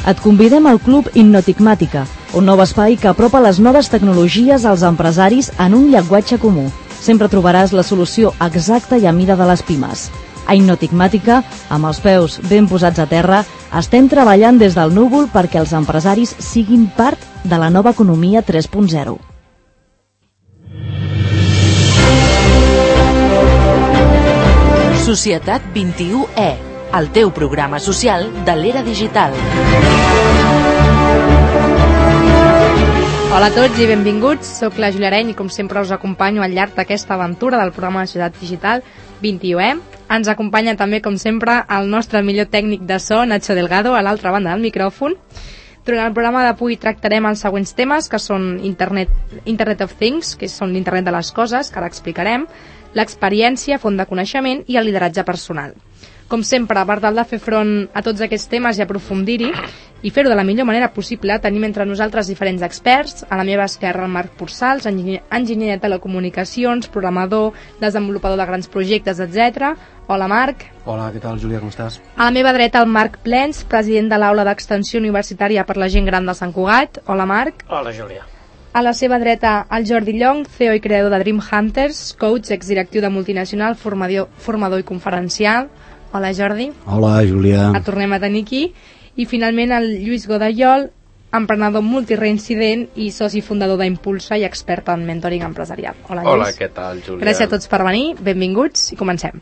Et convidem al Club Innotigmàtica, un nou espai que apropa les noves tecnologies als empresaris en un llenguatge comú. Sempre trobaràs la solució exacta i a mida de les pimes. A Innotigmàtica, amb els peus ben posats a terra, estem treballant des del núvol perquè els empresaris siguin part de la nova economia 3.0. Societat 21E, el teu programa social de l'era digital. Hola a tots i benvinguts, soc la Júlia Areny i com sempre us acompanyo al llarg d'aquesta aventura del programa de Societat Digital 21E. Ens acompanya també, com sempre, el nostre millor tècnic de so, Nacho Delgado, a l'altra banda del micròfon. Durant el programa d'avui tractarem els següents temes, que són Internet of Things, que són l'internet de les coses, que ara explicarem, l'experiència, font de coneixement i el lideratge personal. Com sempre, per tal de fer front a tots aquests temes i aprofundir-hi i fer-ho de la millor manera possible, tenim entre nosaltres diferents experts. A la meva esquerra el Marc Porçals, enginyer de telecomunicacions, programador, desenvolupador de grans projectes, etc. Hola, Marc. Hola, què tal, Júlia, com estàs? A la meva dreta el Marc Plens, president de l'Aula d'Extensió Universitària per la Gent Gran de Sant Cugat. Hola, Marc. Hola, Júlia. A la seva dreta, el Jordi Llong, CEO i creador de Dream Hunters, coach, exdirectiu de multinacional, formador i conferencial. Hola, Jordi. Hola, Júlia. Et tornem a tenir aquí. I finalment el Lluís Godallol, emprenedor multireincident i soci fundador d'Impulsa i expert en mentoring empresarial. Hola, Lluís. Hola, què tal, Júlia? Gràcies a tots per venir, benvinguts i comencem.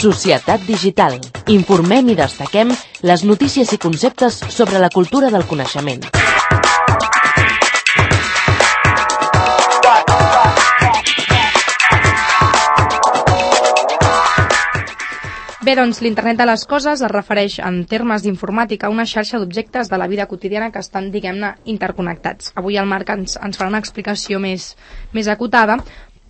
Societat Digital. Informem i destaquem les notícies i conceptes sobre la cultura del coneixement. Bé, doncs l'internet de les coses es refereix en termes d'informàtica a una xarxa d'objectes de la vida quotidiana que estan, diguem-ne, interconnectats. Avui el Marc ens farà una explicació més acotada,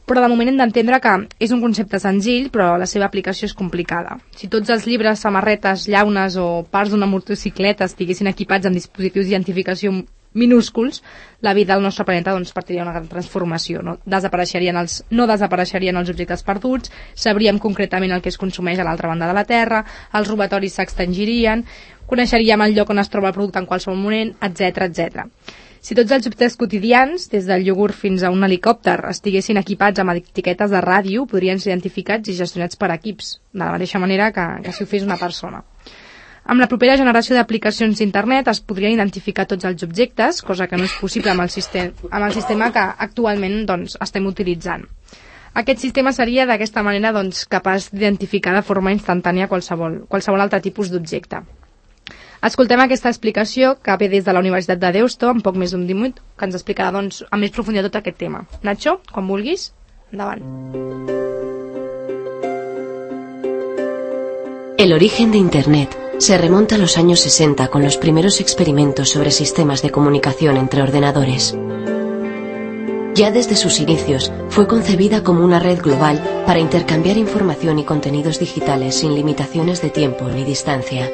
però de moment hem d'entendre que és un concepte senzill, però la seva aplicació és complicada. Si tots els llibres, samarretes, llaunes o parts d'una motocicleta estiguessin equipats amb dispositius d'identificació minúsculs, la vida del nostre planeta patiria una gran transformació. No desapareixerien els objectes perduts, sabríem concretament el que es consumeix a l'altra banda de la Terra, els robatoris s'extingirien, coneixeríem el lloc on es troba el producte en qualsevol moment, etc. Si tots els objectes quotidians, des del iogurt fins a un helicòpter, estiguessin equipats amb etiquetes de ràdio, podrien ser identificats i gestionats per equips, de la mateixa manera que si ho fes una persona. Amb la propera generació d'aplicacions d'internet es podrien identificar tots els objectes, cosa que no és possible amb el sistema que actualment estem utilitzant. Aquest sistema seria d'aquesta manera capaç d'identificar de forma instantània qualsevol altre tipus d'objecte. Escoltem aquesta explicació que ve des de la Universitat de Deusto, en poc més d'un minut, que ens explicarà amb més profunditat tot aquest tema. Nacho, quan vulguis, endavant. El origen de Internet se remonta a los años 60 con los primeros experimentos sobre sistemas de comunicación entre ordenadores. Ya desde sus inicios fue concebida como una red global para intercambiar información y contenidos digitales sin limitaciones de tiempo ni distancia.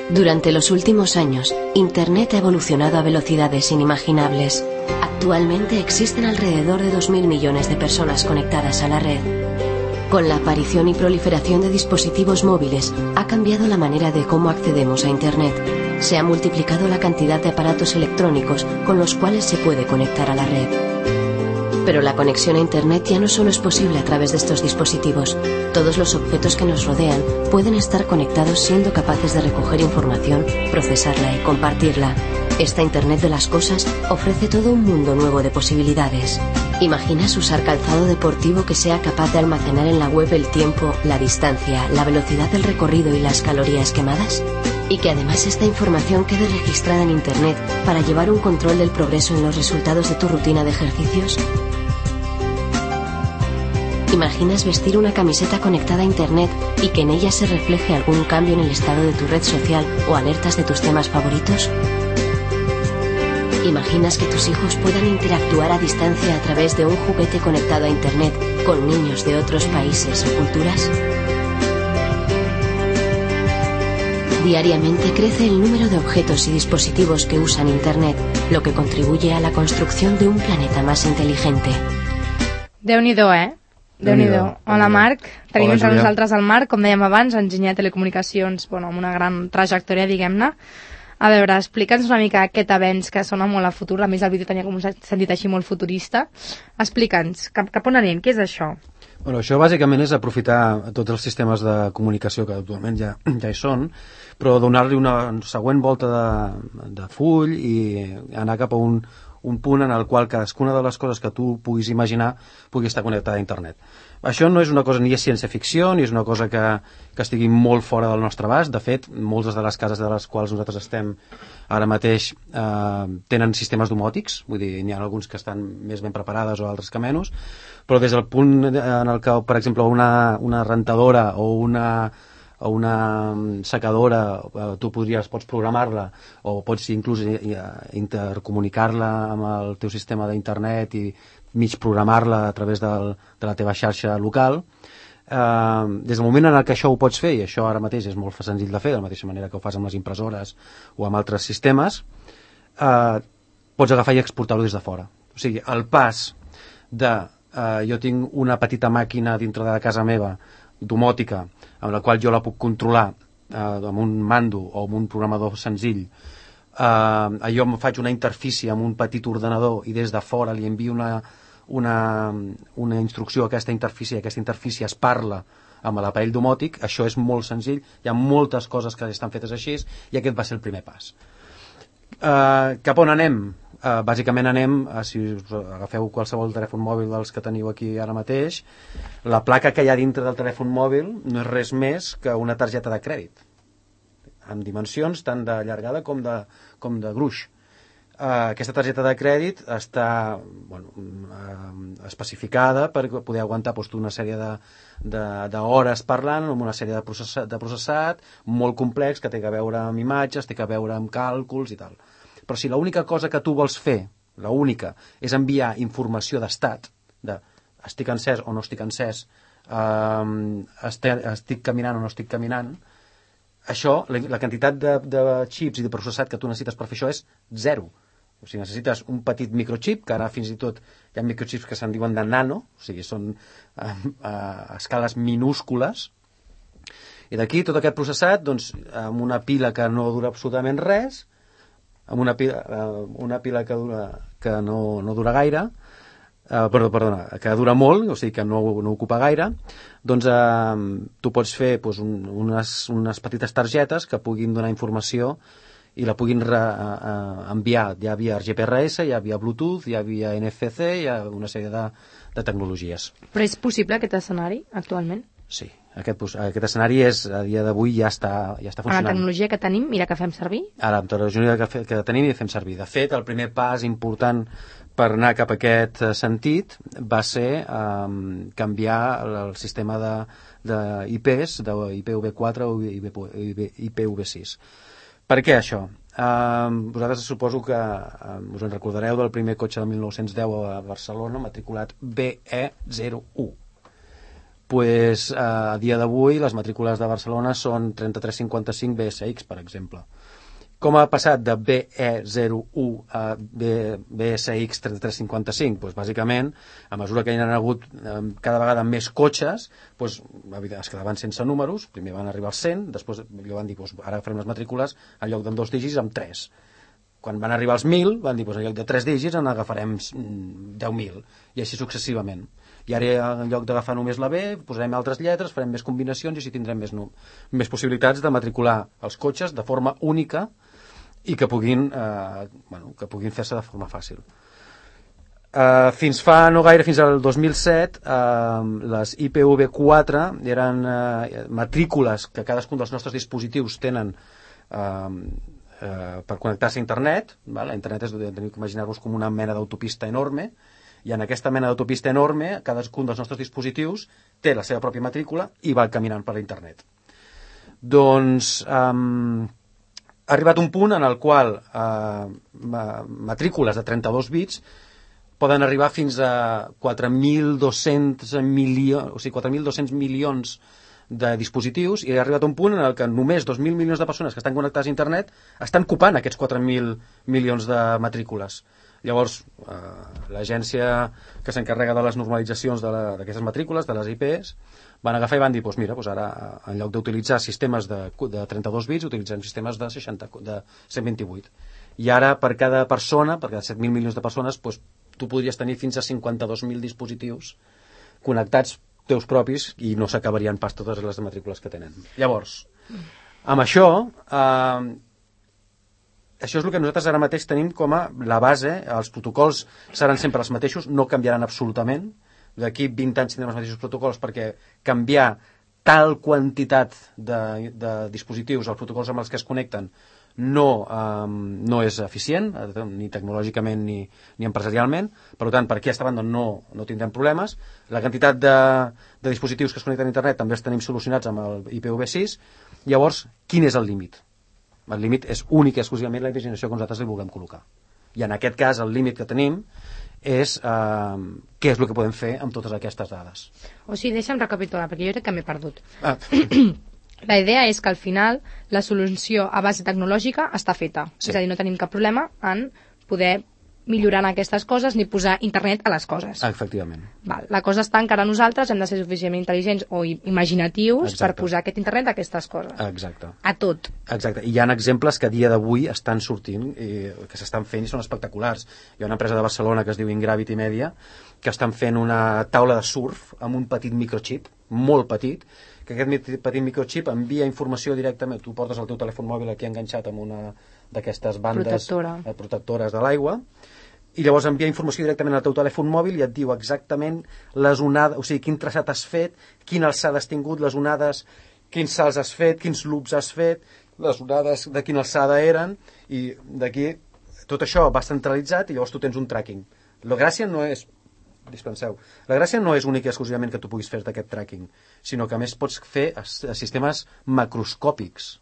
Durante los últimos años, Internet ha evolucionado a velocidades inimaginables. Actualmente existen alrededor de 2.000 millones de personas conectadas a la red. Con la aparición y proliferación de dispositivos móviles, ha cambiado la manera de cómo accedemos a Internet. Se ha multiplicado la cantidad de aparatos electrónicos con los cuales se puede conectar a la red. Pero la conexión a Internet ya no solo es posible a través de estos dispositivos. Todos los objetos que nos rodean pueden estar conectados siendo capaces de recoger información, procesarla y compartirla. Esta Internet de las cosas ofrece todo un mundo nuevo de posibilidades. ¿Imaginas usar calzado deportivo que sea capaz de almacenar en la web el tiempo, la distancia, la velocidad del recorrido y las calorías quemadas? Y que además esta información quede registrada en Internet para llevar un control del progreso en los resultados de tu rutina de ejercicios. ¿Imaginas vestir una camiseta conectada a Internet y que en ella se refleje algún cambio en el estado de tu red social o alertas de tus temas favoritos? ¿Imaginas que tus hijos puedan interactuar a distancia a través de un juguete conectado a Internet con niños de otros países o culturas? Diariamente crece el número de objetos y dispositivos que usan Internet, lo que contribuye a la construcción de un planeta más inteligente. Déu-n'hi-do, Déu-n'hi-do. Hola, Marc. Tenim entre Júlia. nosaltres el Marc, com dèiem abans, enginyer de telecomunicacions, amb una gran trajectòria, diguem-ne. A veure, explica'ns una mica aquest avenç que sona molt a futur. A més, el vídeo tenia com un sentit així molt futurista. Explica'ns, cap on anem? Què és això? Bueno, això bàsicament és aprofitar tots els sistemes de comunicació que actualment ja hi són, però donar-li una següent volta de full i anar cap a un punt en el qual cadascuna de les coses que tu puguis imaginar pugui estar connectada a internet. Això no és una cosa ni és ciència-ficció, ni és una cosa que estigui molt fora del nostre abast. De fet, moltes de les cases de les quals nosaltres estem ara mateix tenen sistemes domòtics, vull dir, n'hi ha alguns que estan més ben preparades o altres que menys, però des del punt en el que, per exemple, una rentadora o una secadora, tu pots programar-la o pots inclús intercomunicar-la amb el teu sistema d'internet i mig programar-la a través de la teva xarxa local. Des del moment en el que això ho pots fer, i això ara mateix és molt senzill de fer, de la mateixa manera que ho fas amb les impressores o amb altres sistemes, pots agafar i exportar-ho des de fora. O sigui, el pas de jo tinc una petita màquina dintre de casa meva domòtica, amb la qual jo la puc controlar amb un mando o amb un programador senzill, jo em faig una interfície amb un petit ordenador i des de fora li envio una instrucció a aquesta interfície es parla amb l'aparell domòtic. Això és molt senzill, hi ha moltes coses que estan fetes així i aquest va ser el primer pas. Cap on anem? Bàsicament anem, si us agafeu qualsevol telèfon mòbil dels que teniu aquí ara mateix, la placa que hi ha dintre del telèfon mòbil no és res més que una targeta de crèdit, amb dimensions tant de llargada com de gruix. Aquesta targeta de crèdit està especificada per poder aguantar una sèrie d'hores parlant, amb una sèrie de processat molt complex que té a veure amb imatges, té a veure amb càlculs i tal. Però si l'única cosa que tu vols fer, l'única, és enviar informació d'estat, estic encès o no estic encès, estic caminant o no estic caminant, això, la quantitat de xips i de processat que tu necessites per fer això és zero. O sigui, necessites un petit microchip, que ara fins i tot hi ha microchips que se'n diuen de nano, o sigui, són a escales minúscules, i d'aquí tot aquest processat, doncs, amb una pila que no dura absolutament res, amb una pila que no dura gaire, que dura molt, o sigui que no ocupa gaire, doncs tu pots fer unes petites targetes que puguin donar informació i la puguin enviar ja via GPRS, ja via Bluetooth, ja via NFC, hi ha una sèrie de tecnologies. Però és possible aquest escenari actualment? Sí, aquest escenari a dia d'avui ja està funcionant. Amb la tecnologia que tenim, mira que fem servir? Ara, amb la tecnologia que tenim i fem servir. De fet, el primer pas important per anar cap a aquest sentit va ser canviar el sistema d'IPs, d'IPv4 o IPv6. Per què això? Vosaltres suposo que us en recordareu del primer cotxe de 1910 a Barcelona, matriculat BE01. Pues, a dia d'avui les matrícules de Barcelona són 3355 BSX, per exemple. Com ha passat de BE01 a BSX 3355? Pues, bàsicament, a mesura que hi ha hagut cada vegada més cotxes, pues, es quedaven sense números, primer van arribar als 100, després van dir, pues, ara farem les matrícules en lloc de 2 dígits amb 3. Quan van arribar als 1.000, van dir, pues, en lloc de 3 dígits en agafarem 10.000, i així successivament. I ara, en lloc d'agafar només la B, posarem altres lletres, farem més combinacions i així tindrem més possibilitats de matricular els cotxes de forma única i que puguin fer-se de forma fàcil. Fins fa no gaire, fins al 2007, les IPv4 eren matrícules que cadascun dels nostres dispositius tenen per connectar-se a internet. A internet teniu que imaginar-vos com una mena d'autopista enorme, i en aquesta mena d'autopista enorme cadascun dels nostres dispositius té la seva pròpia matrícula i va caminant per internet. Doncs ha arribat un punt en el qual matrícules de 32 bits poden arribar fins a 4.200 milions, o sigui, 4.200 milions de dispositius, i ha arribat un punt en el que només 2.000 milions de persones que estan connectades a internet estan copant aquests 4.000 milions de matrícules. Llavors, l'agència que s'encarrega de les normalitzacions d'aquestes matrícules, de les IPs, van agafar i van dir, doncs mira, ara en lloc d'utilitzar sistemes de 32 bits, utilitzem sistemes de 128. I ara per cada persona, per cada 7.000 milions de persones, tu podries tenir fins a 52.000 dispositius connectats teus propis i no s'acabarien pas totes les matrícules que tenen. Llavors, amb això, això és el que nosaltres ara mateix tenim com a la base. Els protocols seran sempre els mateixos, no canviaran absolutament. D'aquí 20 anys tindrem els mateixos protocols, perquè canviar tal quantitat de dispositius, els protocols amb els que es connecten, no és eficient, ni tecnològicament ni empresarialment. Per tant, per aquesta banda no tindrem problemes. La quantitat de dispositius que es connecten a internet també els tenim solucionats amb el IPv6. Llavors, quin és el límit? El límit és únic i exclusivament la imaginació que nosaltres li vulguem col·locar. I en aquest cas el límit que tenim és què és el que podem fer amb totes aquestes dades. O sigui, deixa'm recapitular, perquè jo crec que m'he perdut. La idea és que al final la solució a base tecnològica està feta. Sí. És a dir, no tenim cap problema en poder millorar aquestes coses ni posar internet a les coses. Efectivament. Val. La cosa està en que ara nosaltres hem de ser suficientment intel·ligents o imaginatius per posar aquest internet a aquestes coses. Exacte. A tot. Exacte. I hi ha exemples que a dia d'avui estan sortint, que s'estan fent i són espectaculars. Hi ha una empresa de Barcelona que es diu Ingravity Media que estan fent una taula de surf amb un petit microchip, molt petit, que aquest petit microchip envia informació directament. Tu portes el teu telèfon mòbil aquí enganxat amb una d'aquestes bandes protectores de l'aigua, i llavors envia informació directament al teu telèfon mòbil i et diu exactament les onades, o sigui, quin traçat has fet, quina alçada has tingut, les onades, quins salts has fet, quins loops has fet, les onades de quina alçada eren, i d'aquí tot això va centralitzat i llavors tu tens un tracking. La gràcia no és única i exclusivament que tu puguis fer aquest tracking, sinó que a més pots fer sistemes macroscòpics,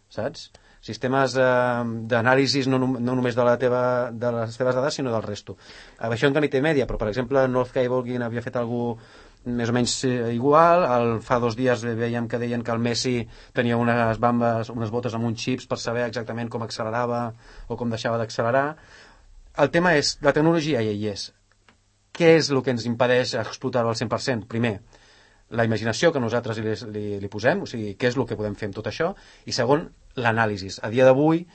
saps? Sistemes d'anàlisi no només de les teves dades, sinó del resto. Això en qualitat mèdia, però per exemple North Cableguin havia fet alguna cosa més o menys igual. Fa 2 dies veiem que deien que el Messi tenia unes botes amb uns xips per saber exactament com accelerava o com deixava d'accelerar. El tema és, la tecnologia ja hi és. Què és el que ens impedeix explotar-ho al 100%? Primer, la imaginació que nosaltres li posem, o sigui, què és el que podem fer amb tot això, i segon, l'anàlisi. A dia d'avui,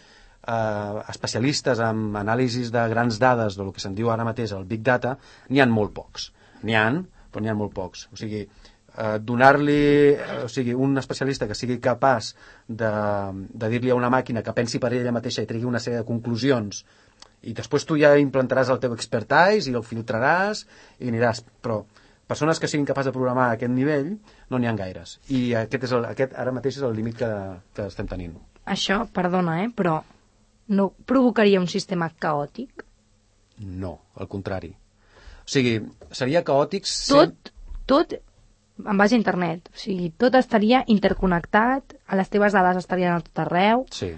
especialistes en anàlisis de grans dades, del que se'n diu ara mateix el Big Data, n'hi ha molt pocs. Però n'hi ha molt pocs. O sigui, donar-li un especialista que sigui capaç de dir-li a una màquina que pensi per ella mateixa i tregui una sèrie de conclusions, i després tu ja implantaràs el teu expertise i el filtraràs i aniràs, però persones que siguin capaces de programar a aquest nivell no n'hi ha gaires, i aquest ara mateix és el límit que estem tenint. Això, perdona, però no provocaria un sistema caòtic? No, al contrari. O sigui, seria caòtic... Tot en base a internet, o sigui, tot estaria interconnectat, les teves dades estarien a tot arreu. Sí.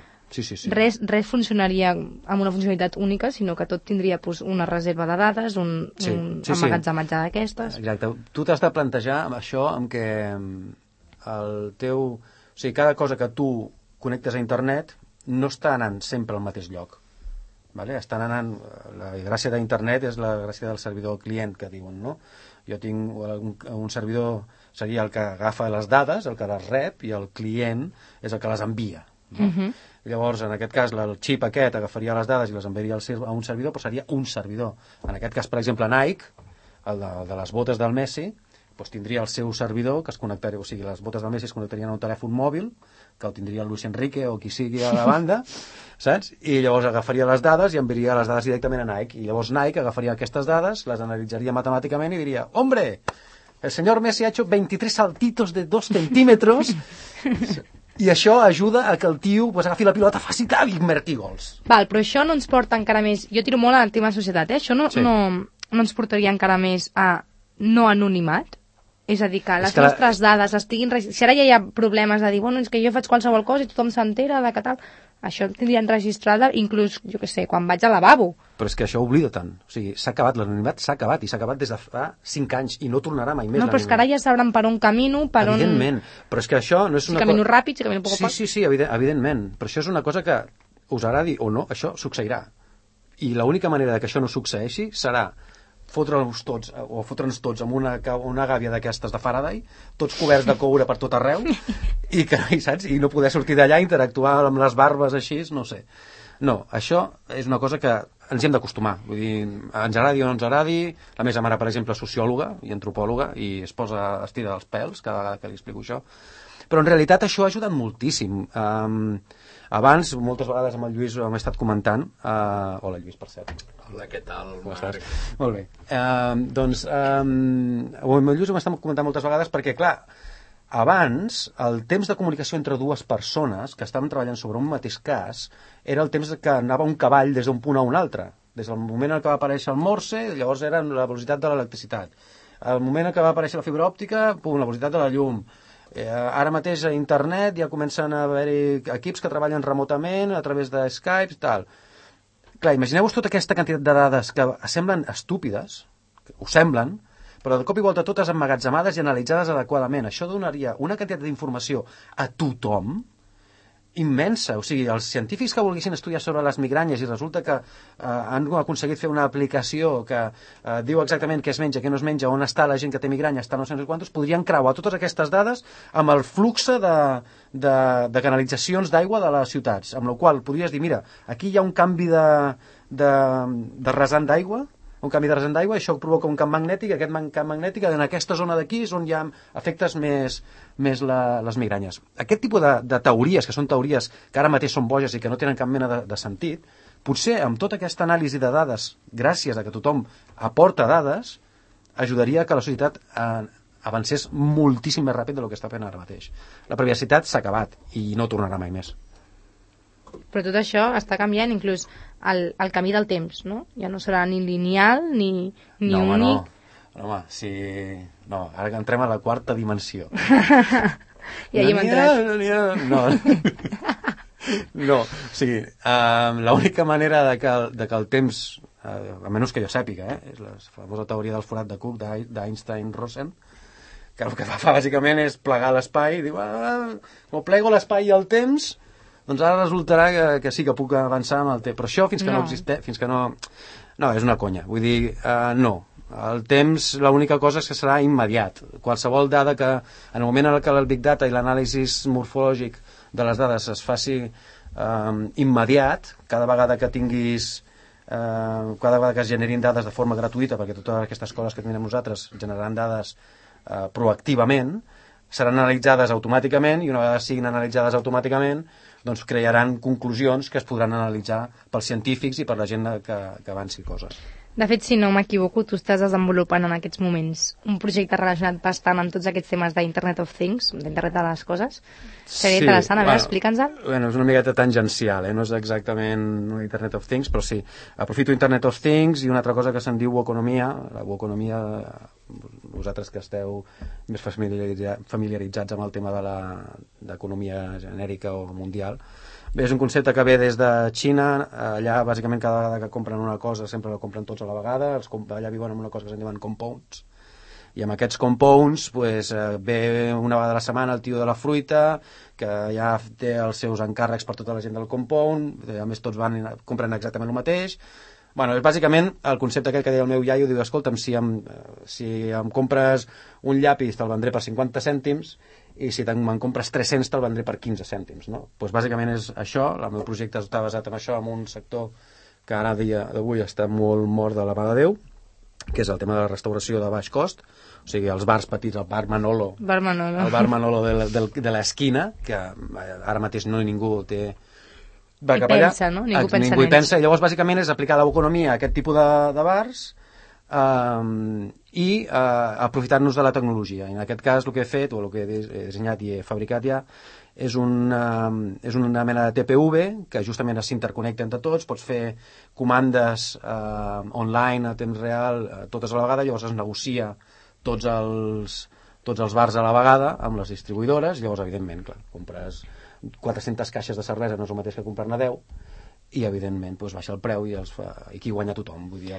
Res funcionaria amb una funcionalitat única, sinó que tot tindria una reserva de dades, un emmagatzematge d'aquestes. Exacte. Tu t'has de plantejar això amb què cada cosa que tu connectes a internet no està anant sempre al mateix lloc. Vale? Estan anant... La gràcia d'internet és la gràcia del servidor client, que diuen, no? Jo tinc un servidor, seria el que agafa les dades, el que les rep, i el client és el que les envia. No? Llavors, en aquest cas, el xip aquest agafaria les dades i les enviaria a un servidor, però seria un servidor. En aquest cas, per exemple, Nike, el de les botes del Messi, doncs tindria el seu servidor que es connectaria, o sigui, les botes del Messi es connectarien a un telèfon mòbil, que el tindria el Luis Enrique o qui sigui a la banda, saps? I llavors agafaria les dades i enviaria les dades directament a Nike. I llavors Nike agafaria aquestes dades, les analitzaria matemàticament i diria, ¡hombre! El señor Messi ha hecho 23 saltitos de 2 centímetros... I això ajuda a que el tio agafi la pilota, faci tal i marqui gols. Val, però això no ens porta encara més... Jo tiro molt al tema societat, Això no ens portaria encara més a no anonimat? És a dir, que les nostres dades estiguin... Si ara ja hi ha problemes de dir, bueno, és que jo faig qualsevol cosa i tothom s'entera de que tal... Això tindrien registrada inclús, jo què sé, quan vaig al lavabo. Però és que això oblida tant. O sigui, s'ha acabat, l'anonimat s'ha acabat, i s'ha acabat des de fa 5 anys, i no tornarà mai més. No, però és que ara ja sabran per on camino, per on... Evidentment, però és que això no és una cosa... Si camino ràpid, si camino poc a poc... Sí, evidentment, però això és una cosa que us agradi o no, això succeirà. I l'única manera que això no succeeixi serà fotre'ns tots amb una gàbia d'aquestes de Faraday, tots coberts de coure per tot arreu, saps? I no poder sortir d'allà, interactuar amb les barbes així, no sé. No, això és una cosa que ens hi hem d'acostumar. Vull dir, ens agradi o no ens agradi. La meva mare, per exemple, és sociòloga i antropòloga i es tira els pèls cada vegada que li explico això. Però en realitat això ha ajudat moltíssim. Abans, moltes vegades amb el Lluís ho hem estat comentant. Hola, Lluís, per cert. Hola, què tal, Marc? Molt bé. Doncs, amb el Lluís ho hem estat comentant moltes vegades perquè, clar, abans, el temps de comunicació entre dues persones que estaven treballant sobre un mateix cas era el temps que anava un cavall des d'un punt a un altre. Des del moment en què va aparèixer el Morse, llavors era la velocitat de l'electricitat. Al moment en què va aparèixer la fibra òptica, la velocitat de la llum. Ara mateix a internet ja comencen a haver-hi equips que treballen remotament a través de Skype i tal. Clar, imagineu-vos tota aquesta quantitat de dades que semblen estúpides, ho semblen, però de cop i volta totes emmagatzemades i analitzades adequadament. Això donaria una quantitat d'informació a tothom immensa. O sigui, els científics que volguessin estudiar sobre les migranyes i resulta que han aconseguit fer una aplicació que diu exactament què es menja, què no es menja, on està la gent que té migranya, està no sé quantos, podrien creuar totes aquestes dades amb el flux de canalitzacions d'aigua de les ciutats, amb la qual podries dir, mira, aquí hi ha un canvi de rasant d'aigua, això provoca un camp magnètic, aquest camp magnètic en aquesta zona d'aquí és on hi ha afectes més les migranyes. Aquest tipus de teories, que són teories que ara mateix són boges i que no tenen cap mena de sentit, potser amb tota aquesta anàlisi de dades, gràcies a que tothom aporta dades, ajudaria que la societat avancés moltíssim més ràpid del que està fent ara mateix. La privacitat s'ha acabat i no tornarà mai més. Però tot això està canviant inclús el camí del temps, no? Ja no serà ni lineal ni únic. No, home, sí... No, ara que entrem a la quarta dimensió. I ahir hem entrat. No, o sigui, l'única manera de que el temps, a menys que jo sàpiga, és la famosa teoria del forat de Cook d'Einstein-Rosen, que el que fa bàsicament és plegar l'espai, i diu, com plego l'espai i el temps, doncs ara resultarà que sí que puc avançar amb el temps. Però això fins que no existeix, fins que no... No, és una conya. Vull dir, no. El temps, l'única cosa és que serà immediat. Qualsevol dada que, en el moment en què el Big Data i l'anàlisi morfològic de les dades es faci immediat, cada vegada que es generin dades de forma gratuïta, perquè totes aquestes coses que tenim nosaltres generaran dades proactivament, seran analitzades automàticament i una vegada siguin analitzades automàticament doncs crearan conclusions que es podran analitzar pels científics i per la gent que avanci coses. De fet, si no m'equivoco, tu estàs desenvolupant en aquests moments un projecte relacionat bastant amb tots aquests temes d'Internet of Things, d'Internet de les coses. Seria interessant, a veure, explica'ns-el. Bueno, és una miqueta tangencial, no és exactament Internet of Things, però sí. Aprofito Internet of Things i una altra cosa que se'n diu Woconomia. La Woconomia, vosaltres que esteu més familiaritzats amb el tema d'economia genèrica o mundial, bé, és un concepte que ve des de Xina. Allà bàsicament cada vegada que compren una cosa sempre la compren tots a la vegada. Allà viuen amb una cosa que se'n diuen compounds, i amb aquests compounds ve una vegada a la setmana el tio de la fruita que ja té els seus encàrrecs per tota la gent del compound, a més tots compren exactament el mateix. Bueno, és bàsicament el concepte aquell que deia el meu iaio, diu, escolta'm, si em compres un llapis te'l vendré per 50 cèntims i si me'n compres 300 te'l vendré per 15 cèntims, no? Doncs bàsicament és això. El meu projecte està basat en això, en un sector que ara dia d'avui està molt mort de la mà de Déu, que és el tema de la restauració de baix cost, o sigui, els bars petits, el bar Manolo, el bar Manolo de l'esquina, que ara mateix no ningú té... Va cap allà, pensa, no? Ningú hi pensa. I llavors bàsicament és aplicar l'economia a aquest tipus de bars i aprofitar-nos de la tecnologia. I en aquest cas el que he fet, o el que he dissenyat i he fabricat ja, és una mena de TPV que justament s'interconnecta entre tots. Pots fer comandes online a temps real totes a la vegada, llavors es negocia tots els bars a la vegada amb les distribuïdores. Llavors, evidentment, clar, compres 400 caixes de cervesa, no és el mateix que comprar-ne 10, i evidentment baixa el preu i qui guanya tothom. Vull dir,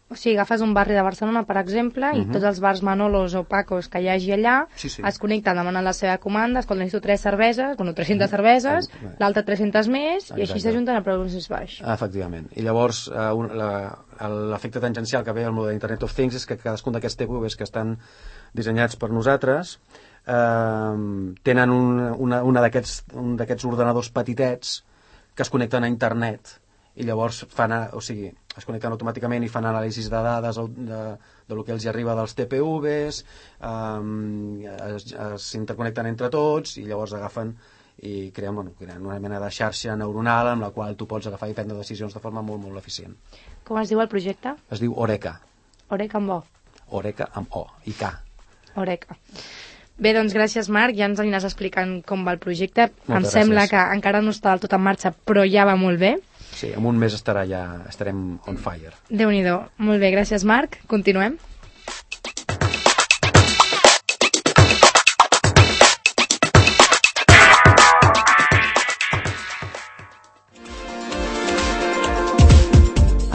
O sigui, agafes un barri de Barcelona, per exemple, i tots els bars Manolos o Pacos que hi hagi allà es connecten, demanen la seva comanda, escolta, necessito 3 cerveses, 300 cerveses, l'altra 300 més, i així s'ajunten a preus més baix. Efectivament. I llavors, l'efecte tangencial que ve al model Internet of Things és que cadascun d'aquests TPVs que estan dissenyats per nosaltres tenen un d'aquests ordenadors petitets que es connecten a internet i llavors es connecten automàticament i fan anàlisis de dades de lo que els arriba dels TPVs, s'interconnecten entre tots i llavors agafen i creen una mena de xarxa neuronal amb la qual tu pots agafar i prendre decisions de forma molt, molt eficient. Com es diu el projecte? Es diu Oreca. Oreca amb O. Oreca amb O i K. Oreca. Bé, doncs gràcies, Marc, ja ens aniràs explicant com va el projecte. Em sembla que encara no està del tot en marxa, però ja va molt bé. Sí, en un mes estarem on fire. Déu-n'hi-do. Molt bé, gràcies, Marc. Continuem.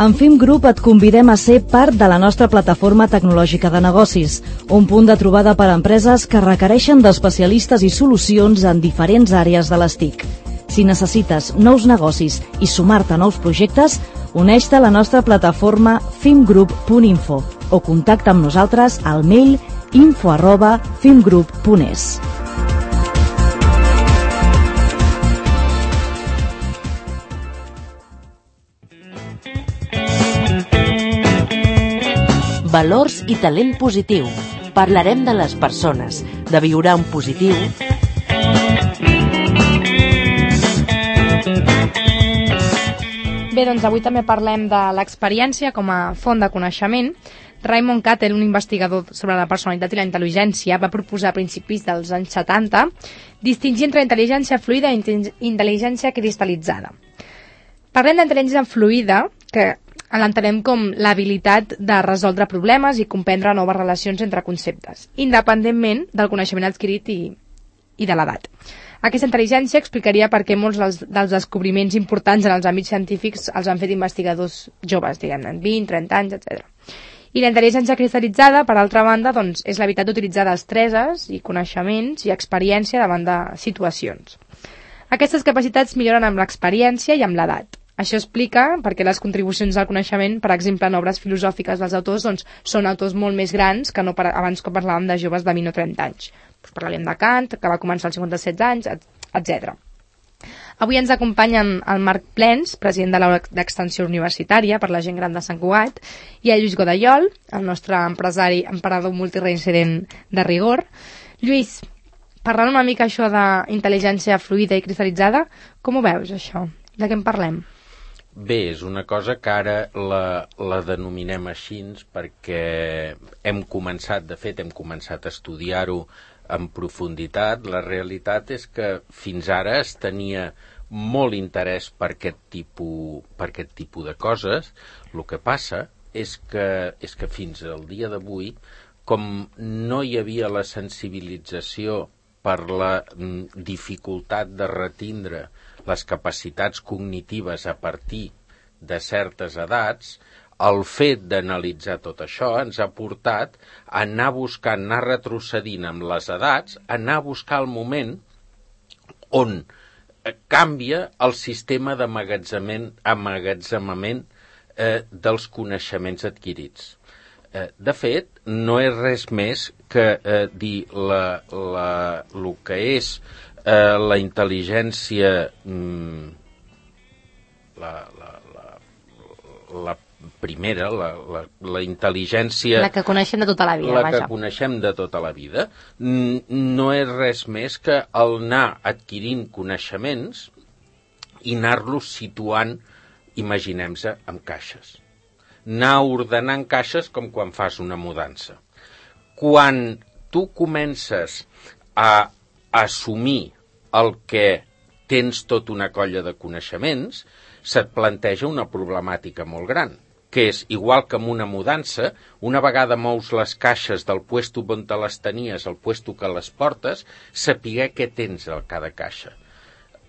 En FIM Group et convidem a ser part de la nostra plataforma tecnològica de negocis, un punt de trobada per a empreses que requereixen d'especialistes i solucions en diferents àrees de les TIC. Si necessites nous negocis i sumar-te a nous projectes, uneix-te a la nostra plataforma fimgroup.info o contacta amb nosaltres al mail info@fimgroup.es. Valors i talent positiu. Parlarem de les persones, de viure en positiu. Bé, doncs avui també parlem de l'experiència com a font de coneixement. Raymond Cattell, un investigador sobre la personalitat i la intel·ligència, va proposar a principis dels anys 70 distingir entre intel·ligència fluida i intel·ligència cristal·litzada. Parlem d'intel·ligència fluida, que l'entenem com l'habilitat de resoldre problemes i comprendre noves relacions entre conceptes, independentment del coneixement adquirit i de l'edat. Aquesta intel·ligència explicaria per què molts dels descobriments importants en els àmbits científics els han fet investigadors joves, diguem-ne, 20, 30 anys, etc. I la intel·ligència cristal·litzada, per altra banda, doncs, és l'habilitat d'utilitzar destreses i coneixements i experiència davant de situacions. Aquestes capacitats milloren amb l'experiència i amb l'edat. Això explica perquè les contribucions al coneixement, per exemple, en obres filosòfiques dels autors, doncs, són autors molt més grans que no abans que parlàvem de joves de 20 o 30 anys. Doncs parlàvem de Kant, que va començar als 57 anys, etc. Avui ens acompanyen el Marc Plens, president de l'aula d'extensió universitària per la gent gran de Sant Cugat, i el Lluís Godallol, el nostre emperador multireincident de rigor. Lluís, parlant una mica això d'intel·ligència fluida i cristal·litzada, com ho veus, això? De què en parlem? Bé, és una cosa que ara la denominem així perquè hem començat a estudiar-ho en profunditat. La realitat és que fins ara es tenia molt interès per aquest tipus de coses. El que passa és que fins al dia d'avui, com no hi havia la sensibilització per la dificultat de retindre les capacitats cognitives a partir de certes edats, el fet d'analitzar tot això ens ha portat a anar retrocedint amb les edats, anar a buscar el moment on canvia el sistema d'emmagatzemament dels coneixements adquirits. De fet, no és res més que dir el que és la intel·ligència, la primera, la intel·ligència... La que coneixem de tota la vida, vaja. La que coneixem de tota la vida, no és res més que el anar adquirint coneixements i anar-los situant, imaginem-se, en caixes. Anar ordenant caixes com quan fas una mudança. Quan tu comences a assumir el que tens tota una colla de coneixements, se't planteja una problemàtica molt gran, que és, igual que amb una mudança, una vegada mous les caixes del puesto on te les tenies al puesto que les portes, saber què tens a cada caixa.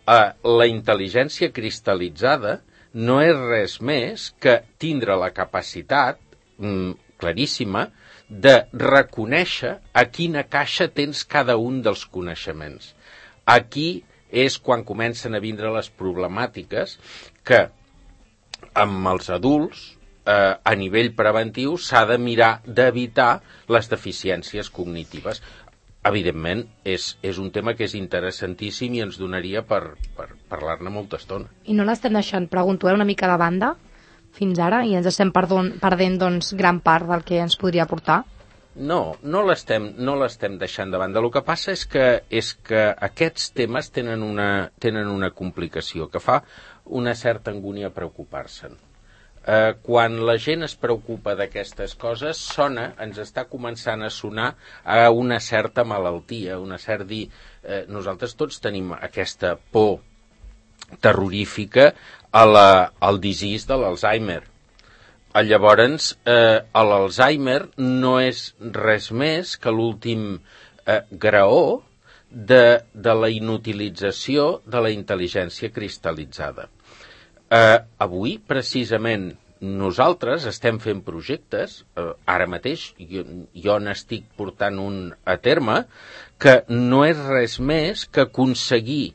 La intel·ligència cristal·litzada no és res més que tindre la capacitat claríssima de reconèixer a quina caixa tens cada un dels coneixements. Aquí és quan comencen a vindre les problemàtiques que amb els adults a nivell preventiu s'ha de mirar d'evitar les deficiències cognitives. Evidentment, és un tema que és interessantíssim i ens donaria per parlar-ne molta estona. I no l'estem deixant, pregunto, una mica de banda fins ara i ens estem perdent doncs, gran part del que ens podria aportar? No l'estem deixant de banda. El que passa és que aquests temes tenen una complicació que fa una certa angúnia preocupar-se'n. Quan la gent es preocupa d'aquestes coses, ens està començant a sonar a una certa malaltia, una certa dir... nosaltres tots tenim aquesta por terrorífica al disease de l'Alzheimer. Llavors, l'Alzheimer no és res més que l'últim graó de la inutilització de la intel·ligència cristal·litzada. Avui, precisament, nosaltres estem fent projectes, ara mateix jo n'estic portant un a terme, que no és res més que aconseguir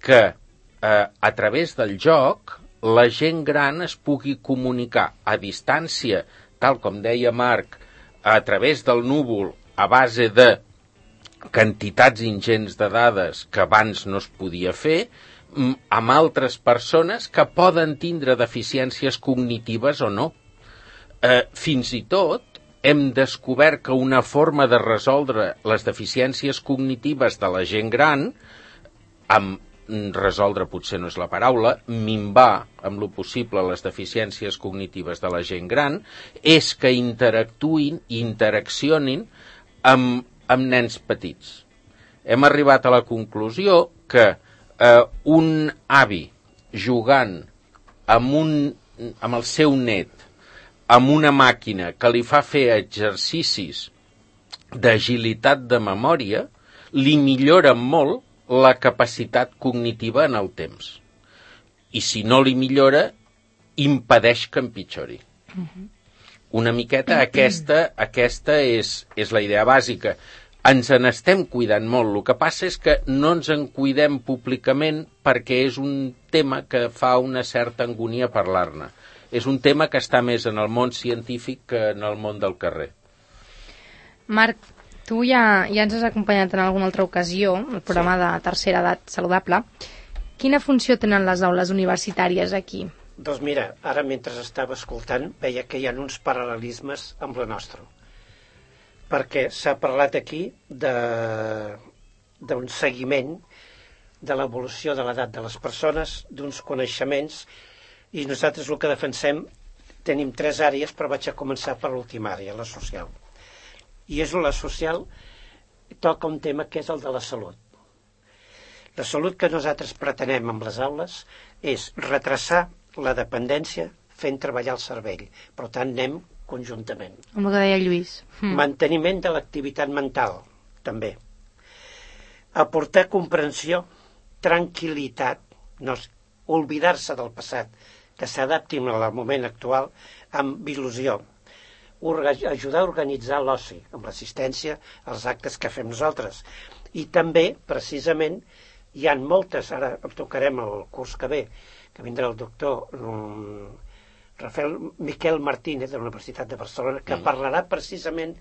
que a través del joc la gent gran es pugui comunicar a distància, tal com deia Marc, a través del núvol, a base de quantitats ingents de dades que abans no es podia fer, amb altres persones que poden tindre deficiències cognitives o no. Fins i tot hem descobert que una forma de resoldre les deficiències cognitives de la gent gran, resoldre potser no és la paraula, minvar amb lo possible les deficiències cognitives de la gent gran, és que interactuïn i interaccionin amb nens petits. Hem arribat a la conclusió que un avi jugant amb el seu net amb una màquina que li fa fer exercicis d'agilitat de memòria li millora molt la capacitat cognitiva en el temps. I si no li millora, impedeix que empitjori. Una miqueta aquesta és la idea bàsica. Ens n'estem cuidant molt. El que passa és que no ens en cuidem públicament perquè és un tema que fa una certa angúnia parlar-ne. És un tema que està més en el món científic que en el món del carrer. Marc, tu ja ens has acompanyat en alguna altra ocasió, el programa de Tercera Edat Saludable. Quina funció tenen les aules universitàries aquí? Doncs mira, ara mentre estava escoltant veia que hi ha uns paral·lelismes amb la nostra. Perquè s'ha parlat aquí d'un seguiment de l'evolució de l'edat de les persones, d'uns coneixements, i nosaltres el que defensem, tenim 3 àrees, però vaig a començar per l'última àrea, la social. I és la social, toca un tema que és el de la salut. La salut que nosaltres pretenem amb les aules és retrasar la dependència fent treballar el cervell. Per tant, anem conjuntament. Com el que deia Lluís. Manteniment de l'activitat mental, també. Aportar comprensió, tranquil·litat, no oblidar-se del passat, que s'adapti al moment actual amb il·lusió. Ajudar a organitzar l'oci, amb l'assistència als actes que fem nosaltres. I també, precisament, hi ha moltes, ara tocarem el curs que ve, que vindrà el doctor Miquel Martínez de la Universitat de Barcelona, que parlarà precisament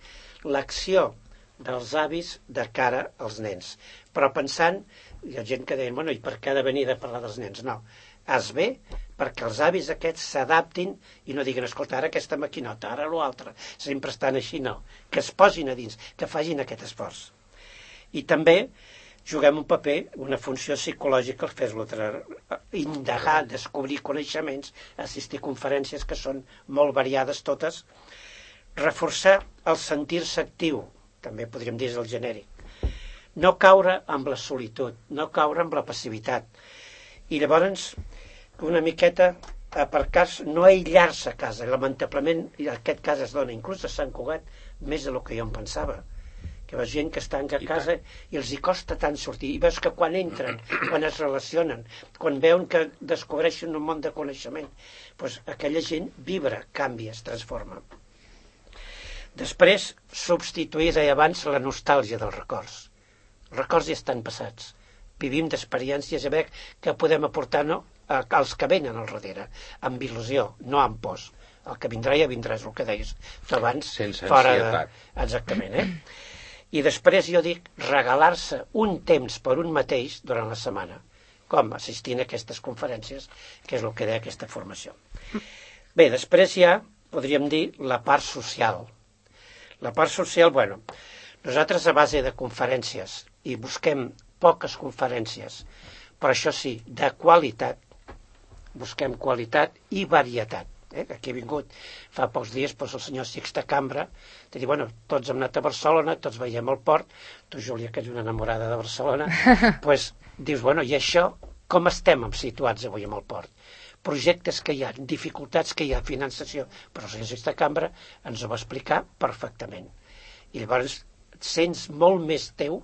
l'acció dels avis de cara als nens. Però pensant, hi ha gent que deia, bueno, i per què ha de venir a parlar dels nens? No, es ve perquè els avis aquests s'adaptin i no diguin, escolta, ara aquesta maquinota, ara l'altre, sempre estan així, no. Que es posin a dins, que facin aquest esforç. I també juguem un paper, una funció psicològica, fer-lo indagar, descobrir coneixements, assistir a conferències que són molt variades totes, reforçar el sentir-se actiu, també podríem dir és el genèric, no caure amb la solitud, no caure amb la passivitat, i llavors una miqueta aparcar-se, no aïllar-se a casa. Lamentablement, en aquest cas es dona inclús a Sant Cugat més del que jo em pensava, que veus gent que està a casa i els hi costa tant sortir, i veus que quan entren, quan es relacionen, quan veuen que descobreixen un món de coneixement, doncs aquella gent vibra, canvia, es transforma. Després, substituir, deia abans, la nostàlgia dels records. Els records ja estan passats. Vivim d'experiències a veure que podem aportar als que venen al darrere, amb il·lusió, no amb pors. El que vindrà ja vindrà, és el que deies tu abans. Sense fora ansietat. Exactament, I després jo dic regalar-se un temps per un mateix durant la setmana, com assistint a aquestes conferències, que és el que deia aquesta formació. Bé, després ja podríem dir la part social. La part social, nosaltres a base de conferències, i busquem poques conferències, però això sí, de qualitat, busquem qualitat i varietat. Aquí ha vingut fa pocs dies el senyor Sixte Cambra, de dir, tots hem anat a Barcelona, tots veiem el port, tu, Júlia, que ets una enamorada de Barcelona, doncs dius, i això, com estem situats avui amb el port? Projectes que hi ha, dificultats que hi ha, finançació, però el senyor Sixte Cambra ens ho va explicar perfectament. I llavors sents molt més teu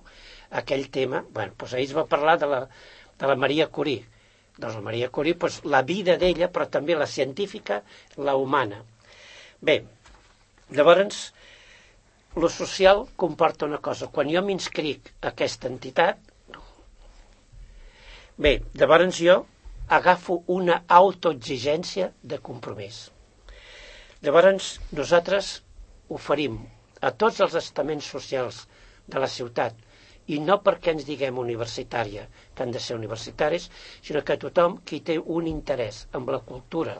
aquell tema. Ahir es va parlar de la Maria Curie. Doncs la Maria Curie, la vida d'ella, però també la científica, la humana. Bé, llavors, lo social comporta una cosa. Quan jo m'inscric a aquesta entitat, llavors jo agafo una autoexigència de compromís. Llavors, nosaltres oferim a tots els estaments socials de la ciutat, i no perquè ens diguem universitària, que han de ser universitaris, sinó que tothom qui té un interès amb la cultura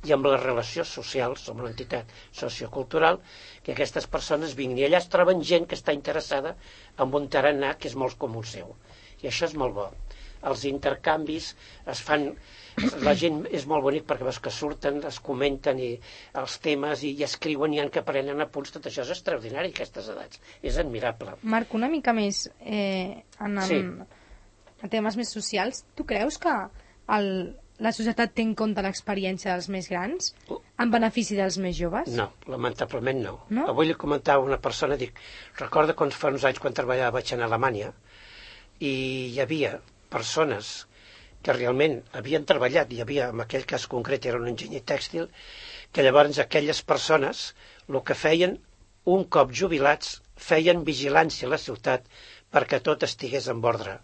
i amb les relacions socials, amb l'entitat sociocultural, que aquestes persones vinguin. I allà es troben gent que està interessada en un tarannà que és molt comú seu. I això és molt bo. Els intercanvis es fan... La gent és molt bonic perquè veus que surten, es comenten els temes i escriuen i han que prenen apunts. Tot això és extraordinari, aquestes edats. És admirable. Marc, una mica més en temes més socials. Tu creus que la societat té en compte l'experiència dels més grans en benefici dels més joves? No, lamentablement no. Avui li comentava una persona, recorda quan fa uns anys quan vaig a Alemanya i hi havia persones que realment havien treballat, hi havia, en aquell cas concret era un enginyer tèxtil, que llavors aquelles persones el que feien, un cop jubilats, feien vigilància a la ciutat perquè tot estigués en ordre,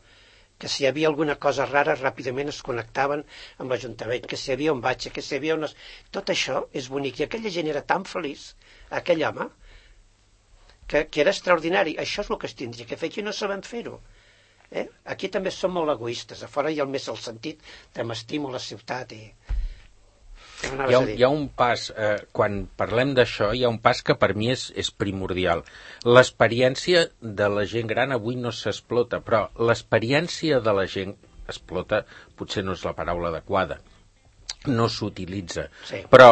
que si hi havia alguna cosa rara ràpidament es connectaven amb l'Ajuntament, que si hi havia un batxe, que si hi havia unes... Tot això és bonic, i aquella gent era tan feliç, aquell home, que era extraordinari. Això és el que es tindria que fer, que no sabem fer-ho. Aquí també som molt egoistes, a fora hi ha més el sentit de m'estimo la ciutat i... Hi ha un pas, quan parlem d'això, hi ha un pas que per mi és primordial. L'experiència de la gent gran avui no s'explota, però l'experiència de la gent explota, potser no és la paraula adequada, no s'utilitza. Sí. Però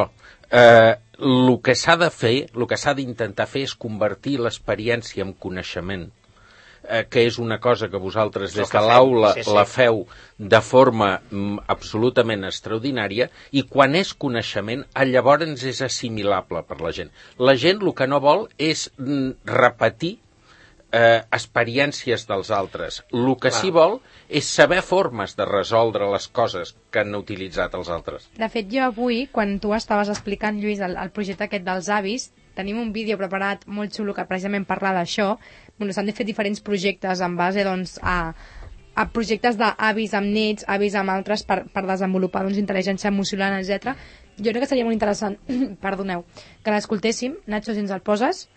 el que s'ha de fer, el que s'ha d'intentar fer és convertir l'experiència en coneixement, que és una cosa que vosaltres des de l'aula la feu de forma absolutament extraordinària, i quan és coneixement, llavors és assimilable per la gent. La gent el que no vol és repetir experiències dels altres. El que sí vol és saber formes de resoldre les coses que han utilitzat els altres. De fet, jo avui, quan tu estaves explicant, Lluís, el projecte aquest dels avis, tenim un vídeo preparat molt xulo que precisament parla d'això. S'han de fer diferents projectes en base a projectes d'avis amb nets, avis amb altres, per desenvolupar intel·ligència emocional, etc. Jo crec que seria molt interessant, perdoneu, que l'escoltéssim. Nacho, si ens el poses.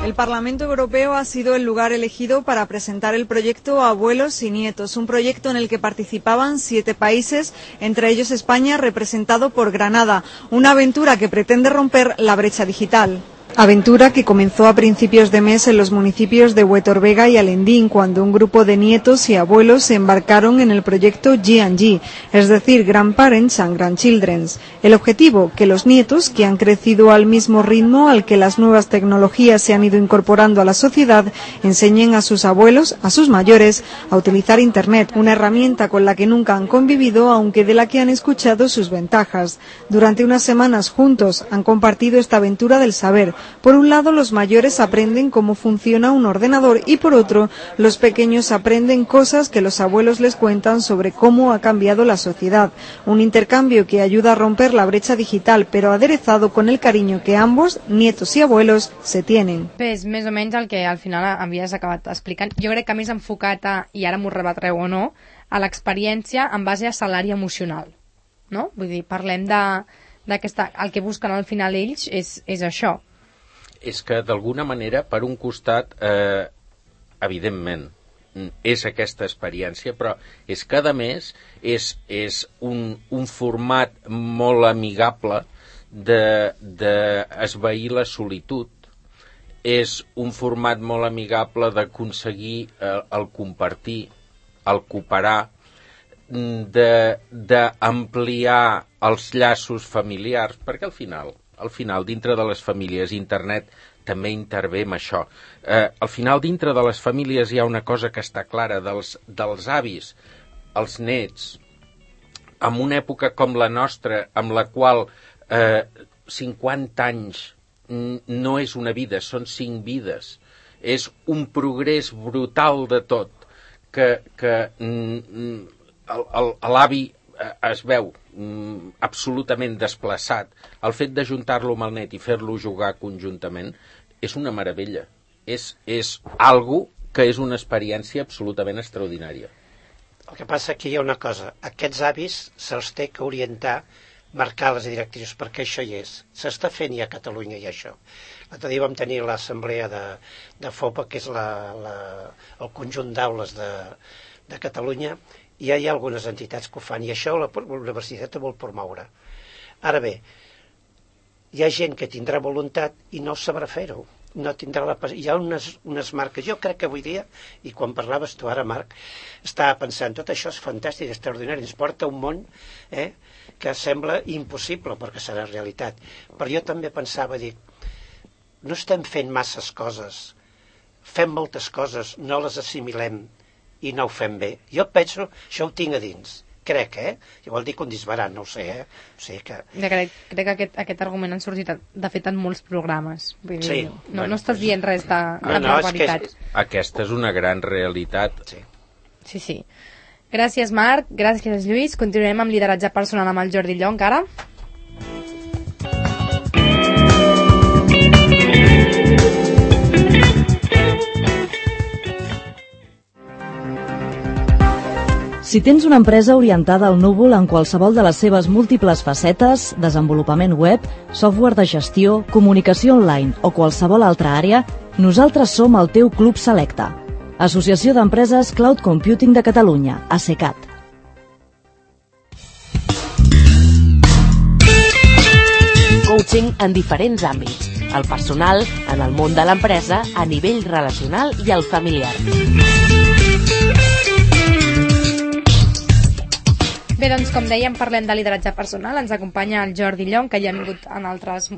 El Parlamento Europeo ha sido el lugar elegido para presentar el proyecto Abuelos y Nietos, un proyecto en el que participaban 7 países, entre ellos España, representado por Granada, una aventura que pretende romper la brecha digital. Aventura que comenzó a principios de mes en los municipios de Huetorvega y Alendín, cuando un grupo de nietos y abuelos se embarcaron en el proyecto G&G, es decir, Grandparents and Grandchildren. El objetivo, que los nietos, que han crecido al mismo ritmo al que las nuevas tecnologías se han ido incorporando a la sociedad, enseñen a sus abuelos, a sus mayores, a utilizar Internet, una herramienta con la que nunca han convivido, aunque de la que han escuchado sus ventajas. Durante unas semanas juntos han compartido esta aventura del saber, Por un lado, los mayores aprenden cómo funciona un ordenador y por otro, los pequeños aprenden cosas que los abuelos les cuentan sobre cómo ha cambiado la sociedad. Un intercambio que ayuda a romper la brecha digital, pero aderezado con el cariño que ambos, nietos y abuelos, se tienen. És més o menys el que al final havies acabat explicant. Jo crec que més enfocat i ara m'ho rebatreu o no, a l'experiència en base a salari emocional, no? Vull dir, parlem d'aquesta... El que busquen al final ells és això. És que, d'alguna manera, per un costat, evidentment, és aquesta experiència, però és que, a més, és un format molt amigable d'esvair la solitud. És un format molt amigable d'aconseguir el compartir, el cooperar, d'ampliar els llaços familiars, perquè al final, dintre de les famílies, internet també intervé en això. Al final, dintre de les famílies hi ha una cosa que està clara, dels avis, els nets, en una època com la nostra, amb la qual 50 anys no és una vida, són 5 vides. És un progrés brutal de tot, que l'avi es veu absolutament desplaçat. El fet d'ajuntar-lo amb el net i fer-lo jugar conjuntament és una meravella. És algo que és una experiència absolutament extraordinària. El que passa que hi ha una cosa, aquests avis se'ls té que orientar, marcar les directrius, perquè això hi és. S'està fent ja a Catalunya i això. L'altre dia vam tenir l'assemblea de FOPA, que és el conjunt d'aules de Catalunya, i ja hi ha algunes entitats que ho fan, i això la universitat ho vol promoure. Ara bé, hi ha gent que tindrà voluntat i no sabrà fer-ho. No tindrà hi ha unes marques. Jo crec que avui dia, i quan parlaves tu ara, Marc, estava pensant, tot això és fantàstic, extraordinari, ens porta un món que sembla impossible perquè serà realitat. Però jo també pensava, dic, no estem fent masses coses, fem moltes coses, no les assimilem i no ho fem bé. Jo penso, això ho tinc a dins, crec, Jo vol dir que un disbarat, no ho sé, O sigui que... Crec que aquest argument han sorgit, de fet, en molts programes. Vull dir, sí. No estàs dient res de barbaritat. Aquesta és una gran realitat. Sí. Gràcies, Marc. Gràcies, Lluís. Continuem amb lideratge personal amb el Jordi Llonc, ara. Si tens una empresa orientada al núvol en qualsevol de les seves múltiples facetes, desenvolupament web, software de gestió, comunicació online o qualsevol altra àrea, nosaltres som el teu Club Selecta. Associació d'Empreses Cloud Computing de Catalunya, ACECAT. Coaching en diferents àmbits. El personal, en el món de l'empresa, a nivell relacional i el familiar. Bé, doncs, com dèiem, parlem de lideratge personal. Ens acompanya el Jordi Llonc, que ja ha vingut en altres